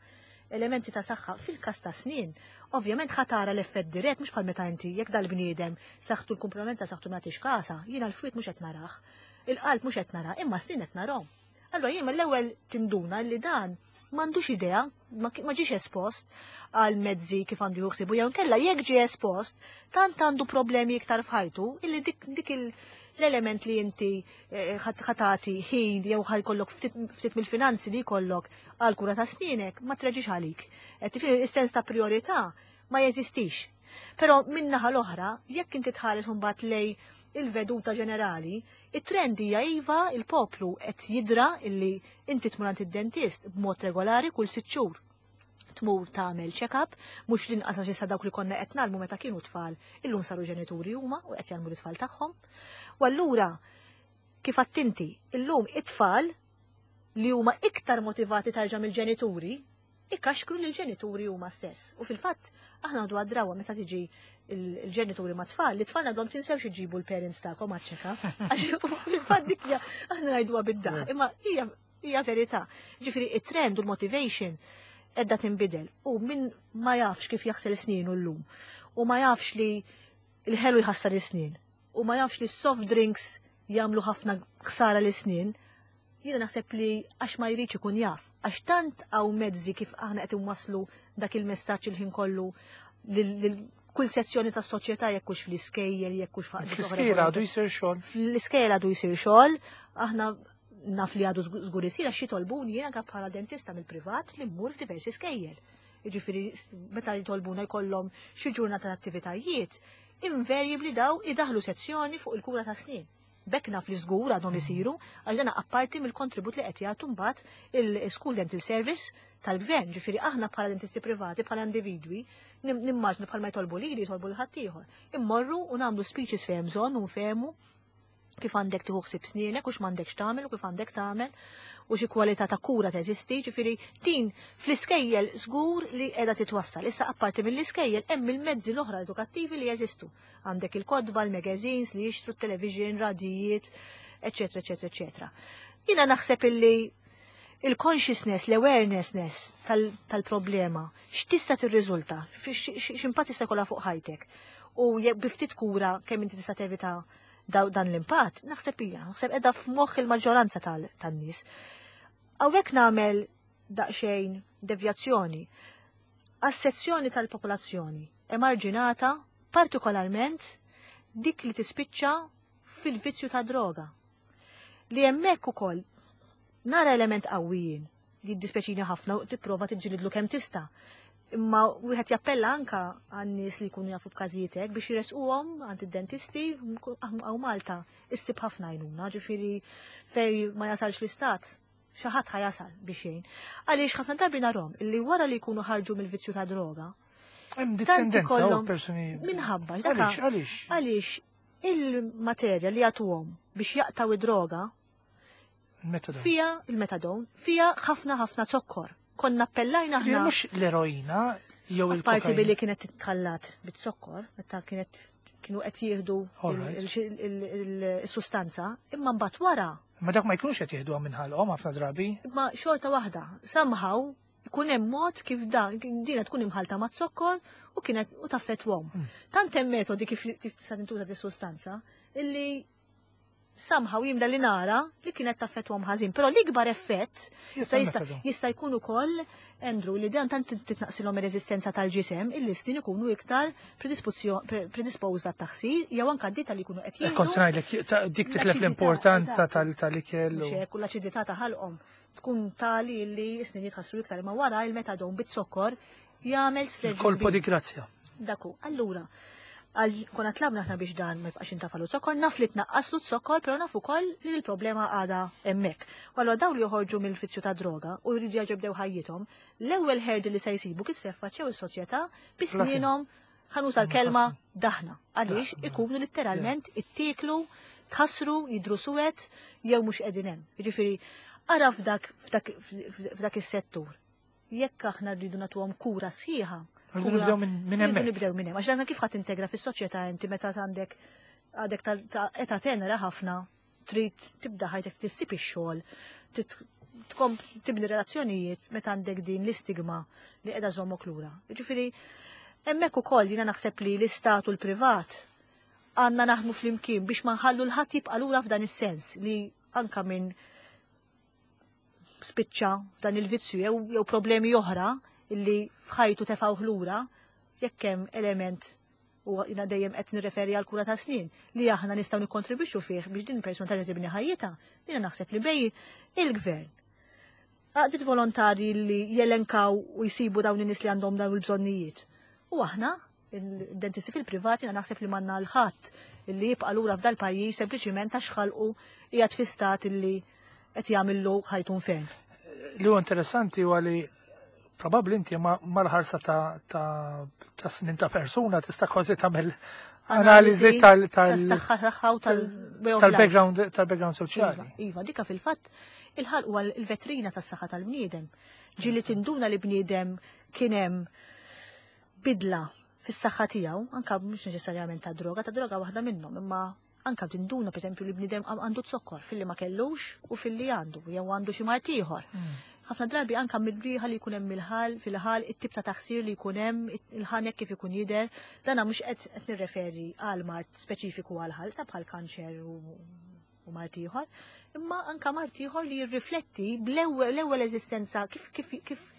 elementi ta' saħħa fil-każ ta' snin. Ovvjament ħa tara l-effett dirett mhux bħal meta inti jekk dal-bniedem saħħtu l-kumplament ta' saħħtu ma kasha, jiena l-fwied mhux qed narah, il-qalb mhux qed nara, imma snin qed narahom. Allura jien mill-ewwel tinduna li dan m'għandux idea, ma ġiex espost għal mezzi kif għandu juħsibu, jew kella jekk ġie espost, tant għandu problemi iktar f'ħajtu, illi dik, dik l-element li inti eh, ħa tagħti ħin jew ħa jkollok ftit mill-finanzi li jkollok għal kura ta' snienek ma treġix għalik. Tifhem is-sens ta' priorità ma jeżistix. Però min-naħa l-oħra, jekk inti tħares mbagħad lej il-veduta ġenerali, it-trend hija iva il-poplu qed jidra illi inti tmur għand id-dentist b'mod regolari kull sitt xhur. Tmur tagħmel check-up, mhux l-inqas għax issa dawk li konna qed ngħallmu meta kienu tfal, illum saru ġenituri huma u qed jgħallmu l-tfal tagħhom. U allura kif attinti, illum it-tfal li huma iktar motivati tarġa' mill-ġenituri, ikkaxkru lil ġenituri huma stess. U fil-fatt aħna għadu għadrawa meta tiġi il-ġenituri ma' tfal, li tfal għadhom tinsewx iġibu l-parents tagħkom għaċ-check-up. Għax fil-fatt dik hija aħna ngħiduha bid-daħk, imma hija hija verità. Ġifieri it-trend u l-motivation edda tinbidel u min ma jafx kif jaħsel sninu llum u ma jafx li l-ħelu jħassar is-snin u ma jafx li soft drinks jagħmlu ħafna ħsara l-snin, jiena naħseb li għax ma jridx ikun jaf, għax tant hawn mezzi kif aħna qed inwasslu dak il-messaġġ il-ħin kollu lil kull sezzjoni tas soċjetà jekk hux fl-iskejjel, jekk hux faqdi. Fl-iskejjel għadu jsir xogħol. Fl-iskejjel għadu jsir xogħol, aħna naf li għadu żgur isir għax jitolbuni jiena anke bħala dentista mill-privat li mmur f'diversi skejjel. Jiġifieri meta jitolbuna jkollhom xi ġurnata ta' attivitajiet, invariably daw idaħlu sezzjoni fuq il-kura ta' snin. Bekk naf li żgur għadhom isiru, għax dan apparti mill-kontribut li qed jagħtu mbagħad il-School Dental Service tal-gvern. Ġifieri aħna bħala dentisti privati, bħala individwi, nimmaġnu bħal ma jtolbu lili, jtolbu lil ħaddieħor. Immorru u nagħmlu speeches fejn bżonn u nfehmu kif għandek tieħu ħsieb snienek u x'm'għandekx tagħmel u kif għandek tagħmel u xi kwalità ta' kura teżisti, ġifieri din fl-iskejjel żgur li qiegħda titwassal. Issa apparti mill-iskejjel hemm il-mezzi l-oħra edukattivi li jeżistu. Għandek il-kotba, il-magazines li jixtru t-television, radijiet, eċetera, eċetera, eċetera. Jiena naħseb illi il-consciousness, l-awarenessness tal-problema, x'tista' tirriżulta, x'impatt tista' jkollha fuq ħajtek. U bi ftit kura kemm inti tista' tevita dan l-impatt, naħseb hija, naħseb qiegħda f'moħħ il-maġġoranza tan-nies. Hawnhekk nagħmel daqsxejn devjazzjoni għas-sezzjoni tal-popolazzjoni emarġinata partikolarment dik li tispiċċa fil-vizzju ta' droga. Li hemmhekk ukoll nara element qawwijin li jiddispjaċini ħafna u tipprova tiġġilidlu kemm tista'. Imma wieħed jappella anka għan-nies li jkunu jafu b'każijiet hekk biex jiresquhom għand id-dentisti hawn Malta issib ħafna għajnuna, ġifieri fej ma jasalx l-istat, xi ħadd ħa jasal biex jgħin. Għaliex ħafna drabi narhom illi wara li jkunu ħarġu mill-vizzju ta' droga, Hemm tant tendenza u ikollhom persuni. minħabba Għaliex, għaliex? għaliex il-materja li jagħtuhom biex jaqtaw id-droga Il-metadon. fija il-metadon, fija ħafna ħafna zokkor. Konna appellajna Li aħna mhux l-eroina jew Apparti il-kokaina. billi kienet titħallat bit-zokkor, meta kienet kienu qed jieħdu Alright. il- il- il- il-sustanza, imma mbagħad wara, Ma dak ma jkunux qed jieħduha minn ħalqhom ħafna drabi. imma xorta waħda, somehow ikun hemm mod kif dan dina tkun imħalta ma' zokkor u kienet u taffetwhom. Mm. Tant hemm metodi kif tista' tintuża di sustanza illi somehow jimda li nara li kienet taffetwhom ħażin, però l-ikbar effett Jista' jista' jista' metadon. jista' jkun ukoll Andrew li dan tant titnaqsilhom ir-reżistenza tal-ġisem illi snin ikunu iktar predispozio- pre- predisposed għat-taħsir jew anke d-dieta li jkunu qed Eh, Kont se jieħdu. ngħidlek ta' dik titlef L-aċidità, l-importanza eżatt. tal- tal-ikel. Mhux u- hekk, u l-aċidità ta' ħalqhom tkun tali li s-snin jitħassru iktar imma wara il-metadon bit-sokkor jagħmel sfreġ Il-kolpo di grazia. Daku, allura, għal konna tlabna aħna biex dan ma jibqax intafalu zokkor, naf li tnaqqaslu zokkor, però naf ukoll li l-problema għada hemmhekk. U allura dawn li joħorġu mill-vizzju ta' droga u jridu jerġgħu jibdew ħajjithom, l-ewwel hurdle li se jsibu kif se jaffaċċjaw is-soċjetà bi snienhom ħa nuża l-kelma daħna. Għaliex Daħna. ikunu letteralment ittieklu, tħassru, jidru suwed jew mhux qegħdin hemm. Jiġifieri ara f'dak f'dak f'dak is-settur. Jekk aħna rridu nagħtuhom kura sħiħa, Rridu kura- nibdew minn minn Rridu hemmhekk. nibdew minn hemm. Għax dan kif ħadd integra fis-soċjetà inti meta għandek għadek ta' ta' età tenera ħafna, trid tibda ħajtek tissib ix-xogħol, trid tkom tibni relazzjonijiet meta għandek din l-istigma li qiegħda żommok lura. Jiġifieri hemmhekk ukoll jiena naħseb li l-istat u l-privat għandna naħdmu flimkien biex ma nħallu l-ħadd jibqa' lura f'dan is-sens li anka minn spiċċa f'dan il-vizzju jew jew problemi oħra illi f'ħajtu tefgħu lura jekk hemm element u jiena dejjem qed nirreferi għal kura ta' snin li aħna nistgħu nikkontribwixxu fih biex din il-persuna terġa' tibni ħajjitha, jiena naħseb li bej il-gvern. Għaqdiet volontari li jelenkaw u jsibu dawn in-nies li għandhom dawn il-bżonnijiet. U aħna, il-dentisti fil-privat, jiena naħseb li m'għandna l-ħadd illi jibqa' lura f'dal pajjiż sempliċiment għax ħalqu qiegħed fi stat illi qed jagħmillu ħajtu infern. Li huwa interessanti huwa li probabbli inti ma mal-ħarsa ta' ta' ta' snin ta' persuna tista' kważi tagħmel analiżi tal tal tas-saħħa tagħha u tal-way of life. tal-background tal-background soċjali. Iva, iva, dika fil-fatt il-ħalq huwa l-vetrina tas-saħħa tal-bniedem. Ġieli tinduna li bniedem kien hemm bidla fis-saħħa tiegħu, anka mhux neċessarjament ta' droga, ta' droga waħda minnhom, imma anka tinduna pereżempju li bniedem għandu zokkor filli ma kellux u filli għandu, jew għandu xi mard ieħor. Mm. Ħafna drabi anka mill-briħa li jkun hemm il-ħal, fil-ħal, it-tip ta' taħsir li jkun hemm, il-ħanek kif ikun jidher, dana mhux qed qed nirreferi għal mard speċifiku għal ħal ta' bħal kanċer u, u mard ieħor, imma anka mard ieħor li jirrifletti bl-ewwel l-ewwel eżistenza kif kif kif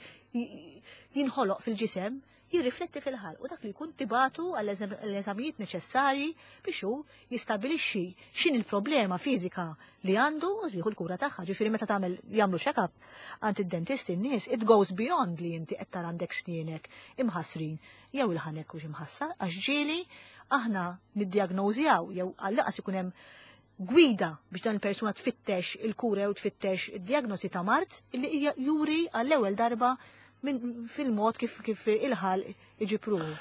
jinħoloq fil-ġisem jirrifletti fil-ħal u dak li jkun tibatu għall-eżamijiet neċessarji biex hu jistabilixxi x'in il-problema fiżika li għandu u jieħu l-kura tagħha. Ġifieri meta tagħmel jagħmlu check-up għand id-dentist in-nies, it goes beyond li inti qed tara għandek snienek imħassrin jew il-ħanek hux imħassar għax ġieli aħna niddiagnożjaw jew għall-aqas ikun hemm gwida biex dan il-persuna tfittex il-kura jew tfittex id-diagnosi ta' mard illi hija juri għall-ewwel darba minn fil-mod kif kif il-ħal iġib ruħu.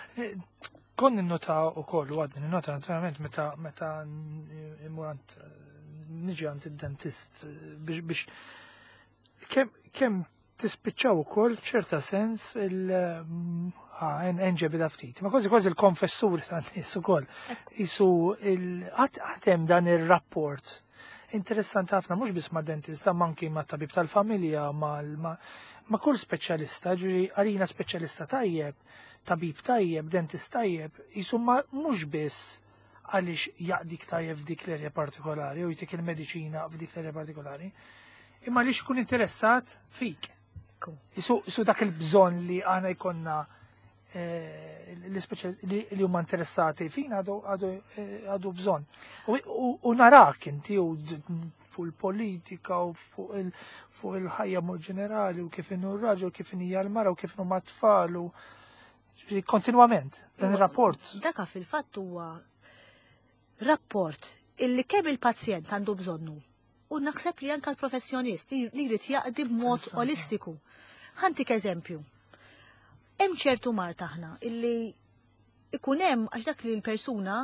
Kon ninnota u koll, u għadni ninnota naturalment meta meta immur għand niġi għand id-dentist biex biex kemm kemm tispiċċaw ukoll f'ċerta sens il enġebi ftit. Ma kważi kważi il-konfessur tan-nies ukoll. Isu għatem dan ir-rapport interessanti ħafna mhux biss ma' dentista, ma anki ma' tabib tal-familja, ma' ma' kull speċjalista, ġifieri għalina speċjalista tajjeb, tabib tajjeb, dentist tajjeb, jisu ma mhux biss għaliex jaqdik tajjeb f'dik l-erja partikolari u jtik il-mediċina f'dik l-erja partikolari, imma għaliex ikun interessat fik. Isu, isu dak il-bżonn li għana jkollna eh, li huma interessati fina għadu għadu bżonn. U narak inti u fuq il-politika u fuq il-ħajja mod ġenerali u kif inhu r-raġel, kif hija l-mara u kif inhu tfal u kontinwament dan ir-rapport. Daka fil-fatt huwa rapport illi kemm il-pazjent għandu bżonnu u naħseb li anka l-professjonist li jrid jaqdi b'mod olistiku. Ħa ntik eżempju. Hemm ċertu mard aħna illi ikun hemm għax dak li l-persuna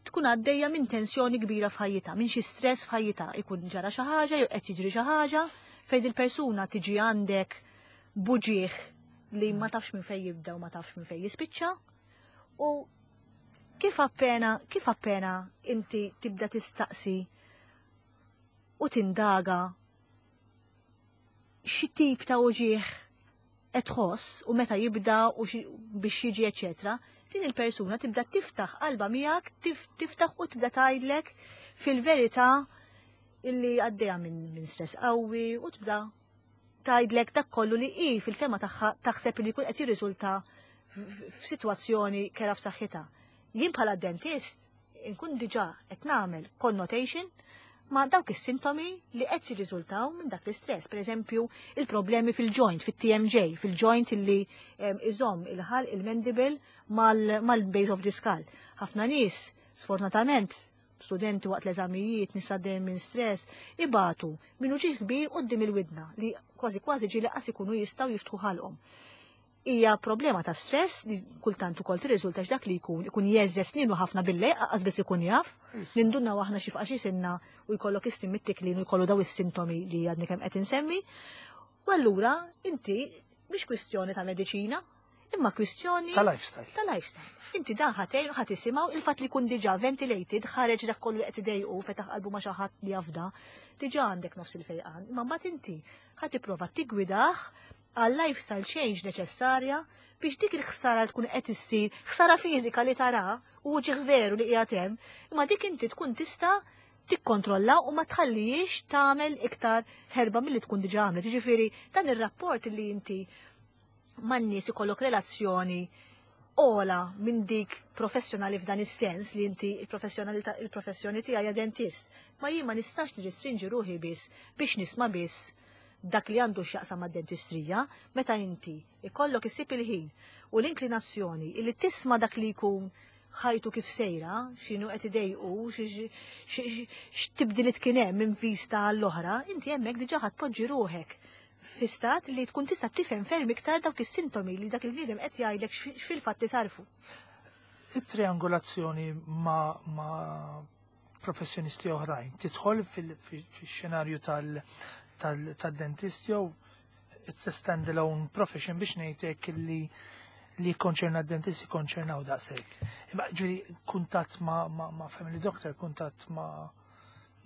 tkun għaddejja minn tensjoni kbira f'ħajjitha, minn xi stress f'ħajjitha, ikun ġara xi ħaġa jew qed jiġri xi ħaġa fejn il-persuna tiġi għandek b'uġigħ li ma tafx minn fejn jibda u ma tafx minn fejn jispiċċa. U kif appena, kif appena inti tibda tistaqsi u tindaga xi tip ta' uġigħ qed tħoss u meta jibda u biex jiġi eċetera, din il-persuna tibda tiftaħ qalba miegħek, tiftaħ u tibda tgħidlek fil-verità illi għaddejja minn min stress qawwi u tibda tgħidlek dak kollu li hi fil-fehma tagħha taħseb li jkun qed jirriżulta f'sitwazzjoni kerha f'saħħitha. Jien bħala dentist inkun diġà qed nagħmel connotation ma' dawk is-sintomi li qed jirriżultaw minn dak l-istress. Per eżempju, il-problemi fil-joint, fit-T M J, fil-joint illi iżomm il-ħalq, il-mandible mal-base of the skull. Ħafna nies, sfortunatament, studenti waqt l-eżamijiet, nies għaddejjin minn stress, ibatu minn uġigħ kbir quddiem il-widna li kważi kważi ġieli qas ikunu jistgħu jiftħu ħalqhom. Hija problema ta' stress li kultant ukoll tirriżulta x'dak li jkun ikun jeżżeż sninu ħafna billejl, qas biss ikun jaf. Nindunna aħna xi f'xi sinna u jkollok istim mit-tiklin u jkollu daw is-sintomi li għadni kemm qed insemmi. U allura inti mhix kwistjoni ta' mediċina, imma kwistjoni ta' lifestyle. Ta' lifestyle. Inti dan ħa tgħin, ħa tisimgħu il-fatt li jkun diġà ventilated, ħareġ dak kollu qed idejqu, fetaħ qalbu ma' xi ħadd li jafda, diġà għandek nofs il-fejqan. Imma mbagħad inti ħa tipprova tiggwidah għal lifestyle change neċessarja biex dik il-ħsara tkun qed issir, ħsara fiżika li tara u uġigħ veru li qiegħed hemm, imma dik inti tkun tista' tikkontrolla u ma tħallijiex tagħmel iktar ħerba milli tkun diġà għamlet. Jiġifieri dan ir-rapport li inti man-nies ikollok relazzjoni ola minn dik professjonali f'dan is-sens li inti il-professjonalità, il-professjoni tiegħi dentist. Ma jien ma nistax nirrestrinġi ruħi biss biex nisma' biss dak li għandu x'jaqsam mad-dentistrija. Meta inti ikollok issib il-ħin u l-inklinazzjoni illi tisma' dak li jkun ħajtu kif sejra, x'inhu qed idejqu, x'tibdilit kien hemm minn vista għall-oħra, inti hemmhekk diġà ħa tpoġġi ruħek fi stat li tkun tista' tifhem ferm iktar dawk is-sintomi li dak il-bniedem qed jgħidlek x'fil-fatt isarfu. It-triangolazzjoni ma, ma professjonisti oħrajn tidħol fil-xenarju tal-dentist jew it's a standalone profession biex ngħidlek li li konċerna d-dentist konċernaw daqshekk? Imma ġifieri kuntatt ma, ma, ma family doctor, kuntatt ma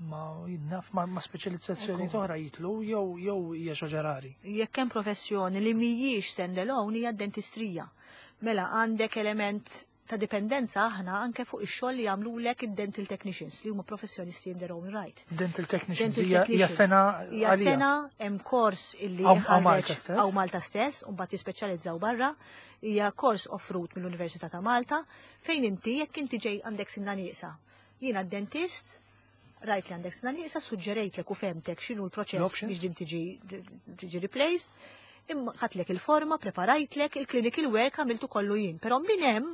ma jinnaf ma, ma speċjalizzazzjoni oħra jitlu jew jew hija xi rari? Jekk hemm professjoni li mhijiex standalone hija d-dentistrija. Mela għandek element ta' dipendenza aħna anke fuq ix-xogħol li jagħmlulek id-dental technicians li huma professjonisti in their own right. Dental technicians hija sena? Hija sena, hemm kors illi Hawn Malta stess. Hawn Malta stess u mbagħad jispeċjalizzaw barra. Hija kors offrut mill-Università ta' Malta fejn inti jekk inti ġej għandek sinna nieqsa. Jiena dentist, rajt li għandek sinna nieqsa, suġġerejtlek u fhemtek x'inhu l-proċess biex din tiġi tiġi replaced, imma ħadtlek il-forma, preparajtlek il-clinical work, għamiltu kollu jien. Però minn hemm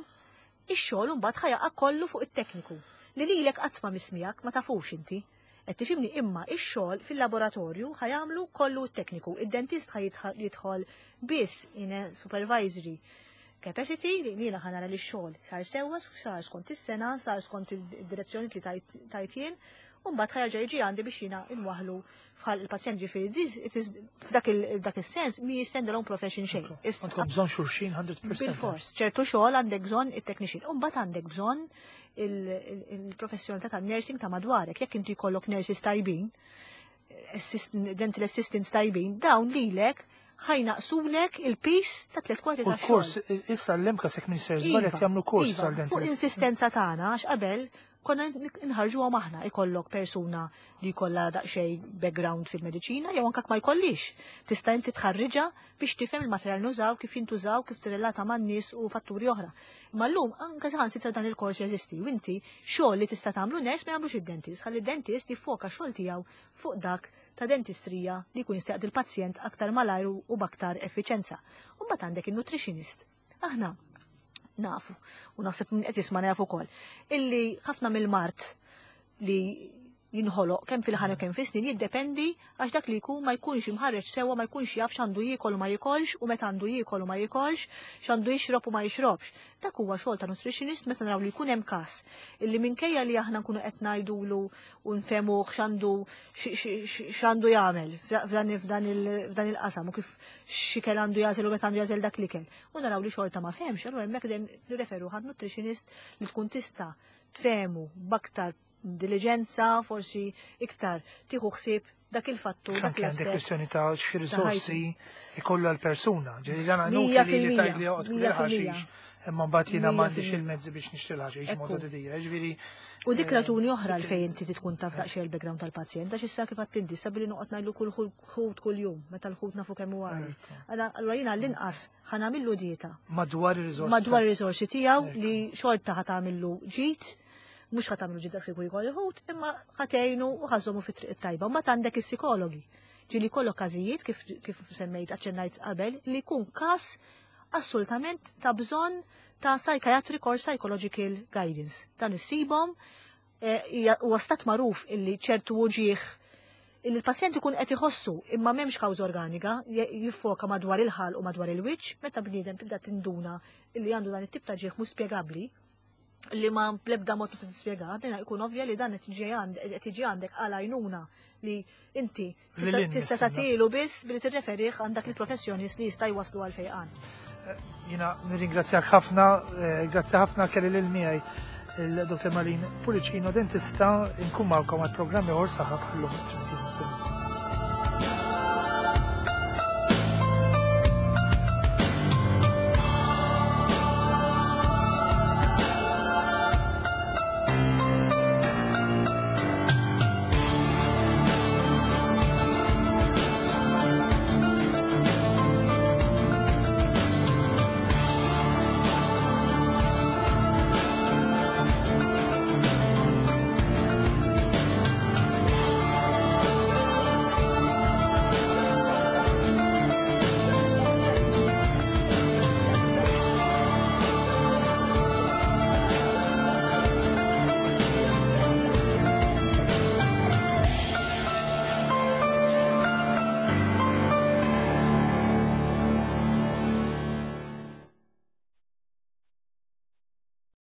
ix-xogħol mbagħad ħa jaqa' kollu fuq it-tekniku li lilek qatt ma mismijak, ma tafux inti. Qed tifhimni? Imma ix-xogħol fil-laboratorju ħa jagħmlu kollu t-tekniku. Id-dentist ħa jidħol biss in a supervisory capacity li jiena ħa nara li x-xogħol sar sewwa, sar skont is-sena, sar skont id-direzzjoni li tajt jien, u mbagħad ħa jerġa' jiġi għandi biex jiena inwaħlu f'ħalq il-pazjent. Ġifieri f'dak is-sens mi stand alone profession xejn. Għandkom bżonn xulxin mija fil-mija. Bil-fors, ċertu xogħol għandek bżonn it-technician, u mbagħad għandek bżonn il-professjonalità ta' nursing ta' madwarek. Jekk inti jkollok nurses tajbin, dental assistants tajbin, dawn lilek ħa jnaqqsulek il-piż ta' tliet kwarti ta' xogħol. Kors, issa l-MCAST, jekk m'iniex żbaljat, jagħmlu kors tal-dental. Fuq insistenza tagħna, għax qabel Konna nħarġuhom aħna, ikollok persuna li jkollha daqsxejn background fil-mediċina jew anke ma jkollix. Tista' inti tħarriġha biex tifhem il-materjal nużaw, kif jintużaw, kif tirrelata man-nies u fatturi oħra. Imma llum anke saħansitra dan il-kors jeżisti u inti xogħol li tista' tagħmlu nurse ma jagħmlux id-dentist, ħalli d-dentist jiffoka xogħol tiegħu fuq dak ta' dentistrija li jkun jista' il-pazjent aktar malajr u b'aktar effiċenza. U mbagħad għandek il-nutritionist. Aħna nafu, u naħseb min qed jisma' nafu ukoll, illi ħafna mill-mard li jinħoloq kemm fil-ħana kemm fis-snin jiddependi għax dak li jkun ma jkunx imħarreġ sewwa, ma jkunx jaf x'għandu jiekol u ma jikolx u meta għandu jiekol u ma jikolx, x'għandu jixrob u ma jixrobx. Dak huwa xogħol ta' nutritionist meta naraw li jkun hemm każ illi minkejja li aħna nkunu qed ngħidulu u nfehmuh x'għandu x'għandu jagħmel f'dan f'dan il-qasam u kif x'ikel għandu jagħżel u meta għandu jagħżel dak l-ikel. U naraw li xorta ma fehmx, allura hemmhekk dejjem nirreferu għand nutritionist li tkun tista' tfehmu b'aktar diligenza, forsi iktar tieħu ħsieb dak il-fattur, dak Anke għandek l-aspett. kwestjoni ta' xi risorsi ikollu għal-persuna. Ġifieri dan Mija inutli li fil-mija, tgħid li joqgħod kull mija fil-mija. ħaxix, imma mbagħad jiena Mija m'għandix fil-mija. il-mezzi biex nixtri l-ħaxix Ekku. modu didira. Ġifieri U dik eh, raġuni oħra għal fejn inti tkun taf daqsxejn il-background tal-pazjent, għax issa kif għedt inti, issa billi noqgħod ngħidlu kull ħut kull jum, meta l-ħut nafu kemm huwa għali. Allura jiena l-inqas ħa nagħmillu dieta madwar ir-risorsi. madwar ir-risorsi tiegħu Ekku. li xorta ħa tagħmillu ġid, mhux ħa tagħmillu ġid dak li jkollu ħut, imma ħa tgħinu u ħa żżommu fit-triq it-tajba. Ma għandek is-psikologi. Ġieli jkollok każijiet kif kif semmejt, aċċennajt qabel, li jkun każ assolutament ta' bżonn ta' psychiatric or psychological guidance. Dan issibhom eh, hija- huwa stat magħruf illi ċertu uġieħ illi l-pazjent ikun qed iħossu imma m'hemmx kawża organika, je- jiffoka madwar il-ħalq u madwar il-wiċċ, meta bniedem tibda tinduna illi għandu dan it-tip ta' ġieħ mhux spjegabbli, li ma bl-ebda mod tista' tispjega, din ikun ovvja li dan qed jiġi għand- qed jiġi għandek għal għajnuna li inti tista' Lil tista' nistenna. tagħtilu biss billi tirreferih għand dak il-professjonist li jista' jwaslu għal fejqan. Jiena nirringrazzjak ħafna, eh, grazzi ħafna kelli lil miegħi il-Dottor Marlene Pullicino, dentista, inkun magħkom għal programmi oħor saħħa bħallum.